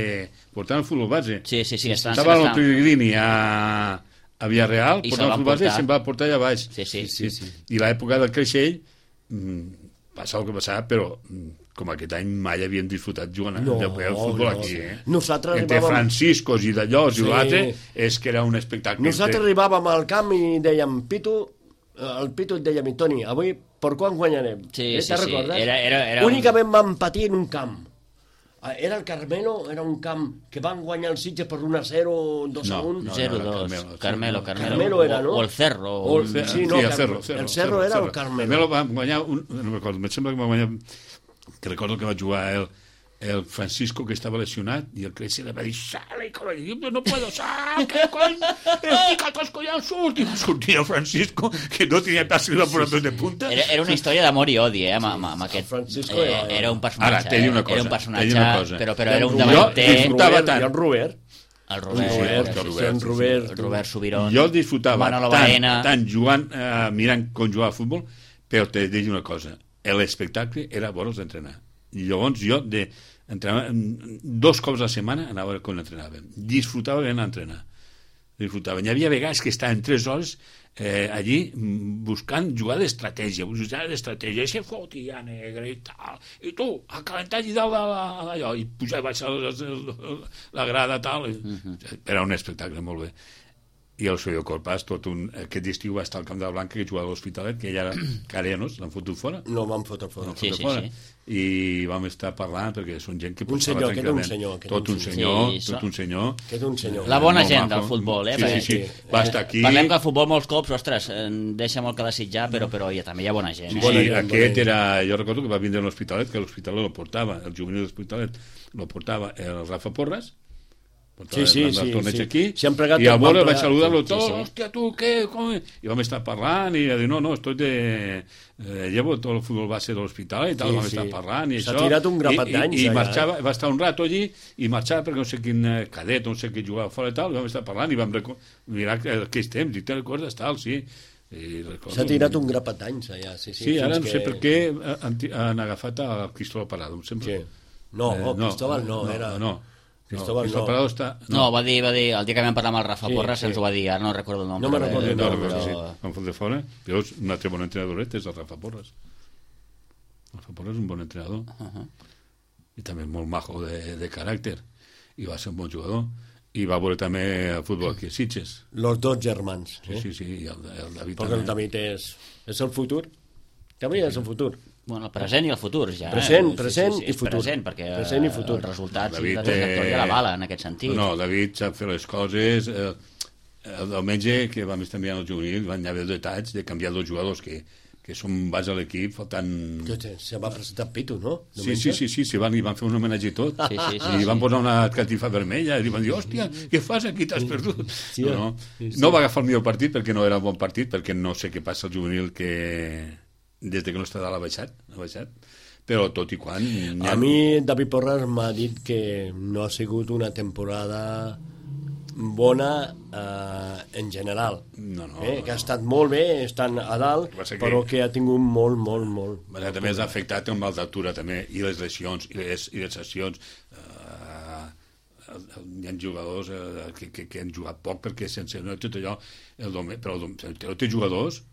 portant el futbol base. Sí, sí, sí, està, Estava està, al Pellegrini a, a Villarreal, I portant se'l el va futbol base i portar. se'n va portar allà baix. Sí, sí. sí, sí. I l'època del Creixell mm, passava el que passava, però mm, com aquest any mai havien disfrutat jugant No, de el futbol no. aquí. Eh? Nosaltres Entre arribàvem- Franciscos i d'allòs Sí. i l'altre és que era un espectacle. Nosaltres arribàvem al camp i dèiem, Pitu, el Pitu et deia, Toni, avui per quan guanyarem? Sí, eh, sí, te'n sí. recordes? Era- era- era un- Únicament vam patir en un camp. Ah, Era el Carmelo, era un camp que van guanyar els Sitges per un a zero, dos a No, un. no. zero era dos. Carmelo, Carmelo, sí. Carmelo. Carmelo era, no? O el Cerro. O el- un- Sí, Sí, no, el Carmelo. Cerro, Cerro, El Cerro era el Carmelo. Carmelo va guanyar un, no me'n recordo, em sembla que va guanyar que recordo que va jugar el, el Francisco que estava lesionat i el Creixell li va dir sale, coño, yo no puedo, sal, que coño estic a tos collons, surt i va sortir el Francisco que no tenia pas ni la por de punta. Era, era una història d'amor i odi, eh, amb, amb, amb aquest... Francisco eh, era- era un personatge, Ara, t'he dit una eh, cosa, era un t'he personatge, dit una cosa. però, però I era el un Robert- davanter... i el disfrutava Robert, tant. I el Robert. El Robert, Robert, sí, sí, sí, sí, en sí, Robert. el Robert Subirón. Jo disfrutava Manolo tant, Baena. tant jugant, eh, mirant com jugava a futbol, però t'he de dir una cosa, l'espectacle era veure'ls entrenar. I llavors jo, de, entrenava, dos cops a la setmana anava a veure com entrenaven. Disfrutava ben entrenar. Disfrutaven. Hi havia vegades que estaven tres hores eh, allí mm, buscant jugar d'estratègia, buscant d'estratègia, i se fotia negre i tal, i tu, a calentar allà dalt de allò, i pujar i baixar la, la, la grada, tal. Uh-huh. Era un espectacle molt bé. I el Soyo Corpas, tot un, aquest estiu va estar al Camp de la Blanca, que jugava a l'Hospitalet, que ella era carenos, l'han fotut fora. No vam fotre fora. Sí, sí, fora. sí. I vam estar parlant, perquè són gent que Un portava senyor, aquest era un tranquil·lament. senyor, aquest Tot era un un senyor, senyor. Sí, tot un senyor. Que és un senyor. La bona Molt gent maco. del futbol, eh? Sí, perquè- sí, sí. Va estar aquí. Parlem que el futbol molts cops, ostres, eh, deixa molt que desitjar, però, però ja, també hi ha bona gent. Sí, Eh? sí, Bona gent, aquest bona era... Jo recordo que va vindre a l'Hospitalet, que l'Hospitalet lo portava, el juvenil de l'Hospitalet lo portava el Rafa Porras, portava Sí, sí, el sí, torneig sí. aquí, Si han plegat, i al van veure vaig plegar. saludar-lo Sí, tot, sí. hòstia, tu, què, com... I vam estar parlant, i va dir, no, no, estoy de... Eh, llevo tot el futbol base de l'hospital i tal, Sí, vam sí. estar parlant, i S'ha això... tirat un grapat i- i- d'anys, I, allà, marxava, va estar un rato allí, i marxava perquè no sé quin eh, cadet, no sé qui jugava fora i tal, i vam estar parlant, i vam reco- mirar aquells temps, i te'n recordes, tal, sí. I recordo- S'ha tirat un grapat d'anys allà, sí, sí. Sí, ara fins no sé que- per què han, han agafat el Cristóbal Parado, em sembla. Sí. No, Eh, Cristóbal no, no, era... No, Cristóbal Cristóbal no. Parado està... No, va dir, va dir, el dia que vam parlar amb el Rafa Sí, Porras sí. ens ho va dir, ara no recordo el nom. No me'n però- recordo el no, nom, no, però- sí, sí. Em fot de fora. Però és un altre bon entrenadoret, és el Rafa Porras. El Rafa Porras és un bon entrenador. Uh -huh. I també molt majo de, de caràcter. I va ser un bon jugador. I va veure també el futbol aquí a Sitges. Los dos germans. Sí, Eh? sí, sí. I el, el David Perquè el també. David és, és el futur. També és el futur. Bueno, el present i el futur, ja. Present, eh? present sí, sí, sí, i futur. Present, perquè present i futur. els resultats David, i la trajectòria eh, la bala, en aquest sentit. No, David sap fer les coses. Eh, el diumenge, que vam estar enviant el juvenil, van haver detalls de canviar dos jugadors que, que són base a l'equip, faltant... Se va presentar Pitu, no? Sí, sí, sí, sí, sí van, li van fer un homenatge i tot. Sí, sí, sí, I sí. van posar una catifa vermella i li van dir, hòstia, què fas aquí, t'has perdut? Sí, no, no. sí, sí. no va agafar el millor partit perquè no era un bon partit, perquè no sé què passa al juvenil que des de que no està dalt ha baixat, ha baixat. Però tot i quan... A mi David Porras m'ha dit que no ha sigut una temporada bona eh, en general. No, no, eh? no, que ha no. estat molt bé, estan a dalt, Va ser que- però que ha tingut molt, molt, molt. Bueno, també s'ha afectat el mal d'altura també, i les lesions i les, i les sessions. Uh, hi ha jugadors uh, que, que, que han jugat poc perquè sense no, tot allò el dome, però el dome, té jugadors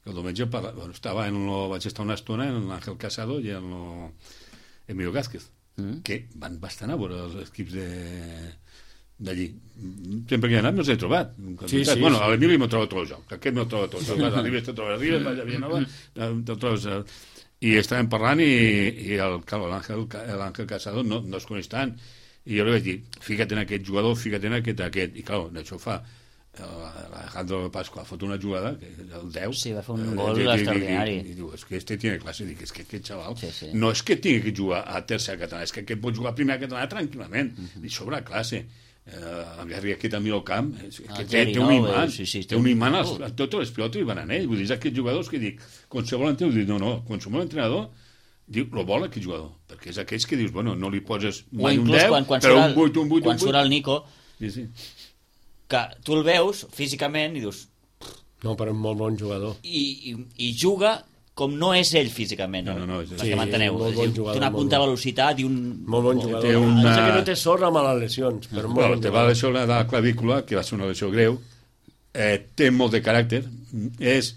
que el diumenge parla, bueno, estava en lo, vaig estar una estona en l'Àngel Casado i en lo Emilio Gázquez mm. que van bastant a veure els equips de d'allí. Sempre que he anat me'ls he trobat. Sí, sí, bueno, sí. a l'Emili m'ho trobo tot el joc. Aquest m'ho trobo tot el joc. A l'Ives te trobes a Ribes, vaig a Villanova, te'l trobes a... I estàvem parlant i, i el, claro, l'Àngel l'Àngel Casado no, no es coneix tant. I jo li vaig dir, fica't en aquest jugador, fica't en aquest, aquest. I, clar, això fa Alejandro Pascua, ha fot una jugada, que el deu... Sí, va fer un gol extraordinari. I, i, i diu, és que este tiene clase. Dic, és que aquest xaval Sí, sí. no és que tingui que jugar a tercera catalana, és que aquest pot jugar a primera catalana tranquil·lament. Uh -huh. I sobre classe. Uh, el Gary aquest a mi al camp, és, que El té, Gary té un nou, imant, sí, sí, té un imant, als, a totes les pilotes i van a ell. Vull dir, és aquests jugadors que dic, qualsevol entrenador, dic, no, no, qualsevol entrenador diu, lo vol aquest jugador, perquè és aquells que dius, bueno, no li poses O mai un inclús deu, quan, quan però surt un el, vuit, un vuit, quan un surt vuit. el Nico, Sí, sí. que tu el veus físicament i dius... No, però és molt bon jugador. I, i, i juga com no és ell físicament. No, no, no, és- perquè sí, m'enteneu. molt És bon a dir, jugador, té una molt punta de bon. velocitat i un... Molt bon jugador. Té una- Pensa que no té sort amb les lesions, però molt Bueno, bon te va jugador. lesió de la clavícula, que va ser una lesió greu, eh, té molt de caràcter, és,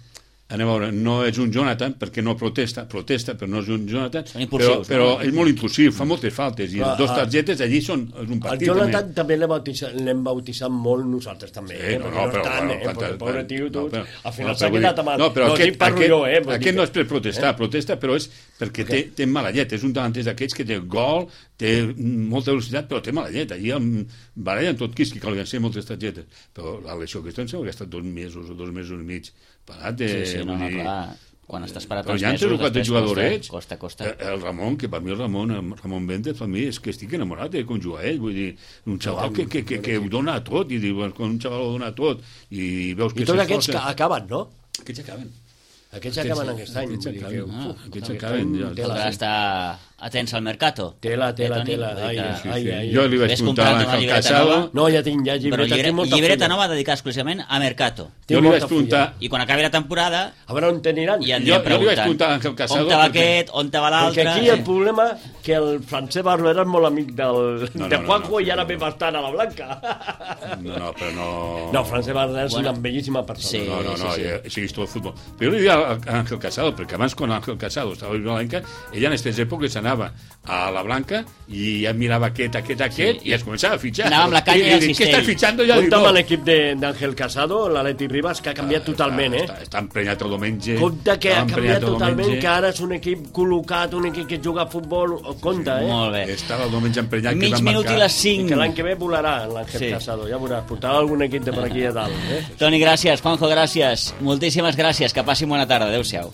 anem a veure, no és un Jonathan, perquè no protesta, protesta, però no és un Jonathan, Són però, impulsius, però no? és molt impulsiu, fa moltes faltes, i Però, dos ah, targetes allí són és un El partit. Jonathan també l'hem bautitzat, l'hem bautitzat molt nosaltres també, Sí, eh? no, Perquè no, però, estan, bueno, eh? Perquè el pobre tio, tu, no, però- al final no, s'ha però vull quedat dir- amb el... No, però no, aquest, dic parlo aquest, jo, eh? Vull dir aquest que- no és per protestar, protesta, però és perquè té, té mala llet, és un davanter d'aquests que té gol, té molta velocitat, però té mala llet. Allí amb baralla amb tot quisqui, que li van ser moltes targetes. Però la lesió aquesta em sembla que ha estat dos mesos o dos mesos i mig parat. De, Sí, sí, no, vull no, dir, clar. Quan estàs parat però tants ja han mesos, trucat de després jugadorets. costa, costa, Eh, costa. El Ramon, que per mi el Ramon, el Ramon Benítez, per mi és que estic enamorat de com juga ell. Vull dir, un xaval que, que, que, que ho dona tot, i diu, quan un xaval ho dona tot, i veus que I tots aquests s'esforça- que acaben, no? Aquests acaben. Aquests acaben aquest any. Aquests vull dir que, acaben. uf, Ah, aquests aquest acaben, any, ja. tela, Caldrà eh? estar atents al mercato. Tela, tela, Eh, Toni? tela. Vull dir Ai, que- ai, Sí, ai, sí. ai. Jo li vaig Ves preguntar a comprant una l'Àngel llibreta Casado, nova. No, ja tinc, ja Però llibreta, llibre, tinc molta llibreta fulla. nova dedicada exclusivament a mercato. jo Tinc li molta vaig preguntar, I quan acabi la temporada A veure on t'aniran. ja Jo- anirem jo li vaig preguntant preguntar a Àngel Casado on te va perquè- aquest, on te va Perquè l'altre. aquí el problema que el Francesc Barberà és molt amic del, No, de no, no, Juanjo no, i ara no. ve bastant a la Blanca. no, no, però no... No, Francesc Barberà és Bueno. una bellíssima persona. Sí. No, no, no, sí, sí. sí, sí. He vist el futbol. Però jo li diria a Ángel Casado, perquè abans quan Ángel Casado estava a la Blanca, ella en aquestes èpoques anava a la Blanca i ja mirava aquest, aquest, aquest, Sí. i es començava a fitxar. Anava amb la canya I, i el i, dic, què cistell. estàs fitxant? Ja dic, Compte amb no. l'equip de- d'Àngel Casado, l'Atleti Ribas, que ha canviat totalment, eh? Està, està emprenyat el diumenge. Compte que ha estava canviat emprenyat el totalment, diumenge. que ara és un equip col·locat, un equip que juga a futbol. Compte, eh? Molt bé. Estava el diumenge emprenyat. que Mig va minut marcar. i les I cinc. que l'any que ve volarà l'Àngel Sí. Casado, ja veuràs, portarà algun equip de per aquí a dalt, eh? Toni, gràcies. Juanjo, gràcies. Moltíssimes gràcies. Que passin bona tarda. Adéu-siau.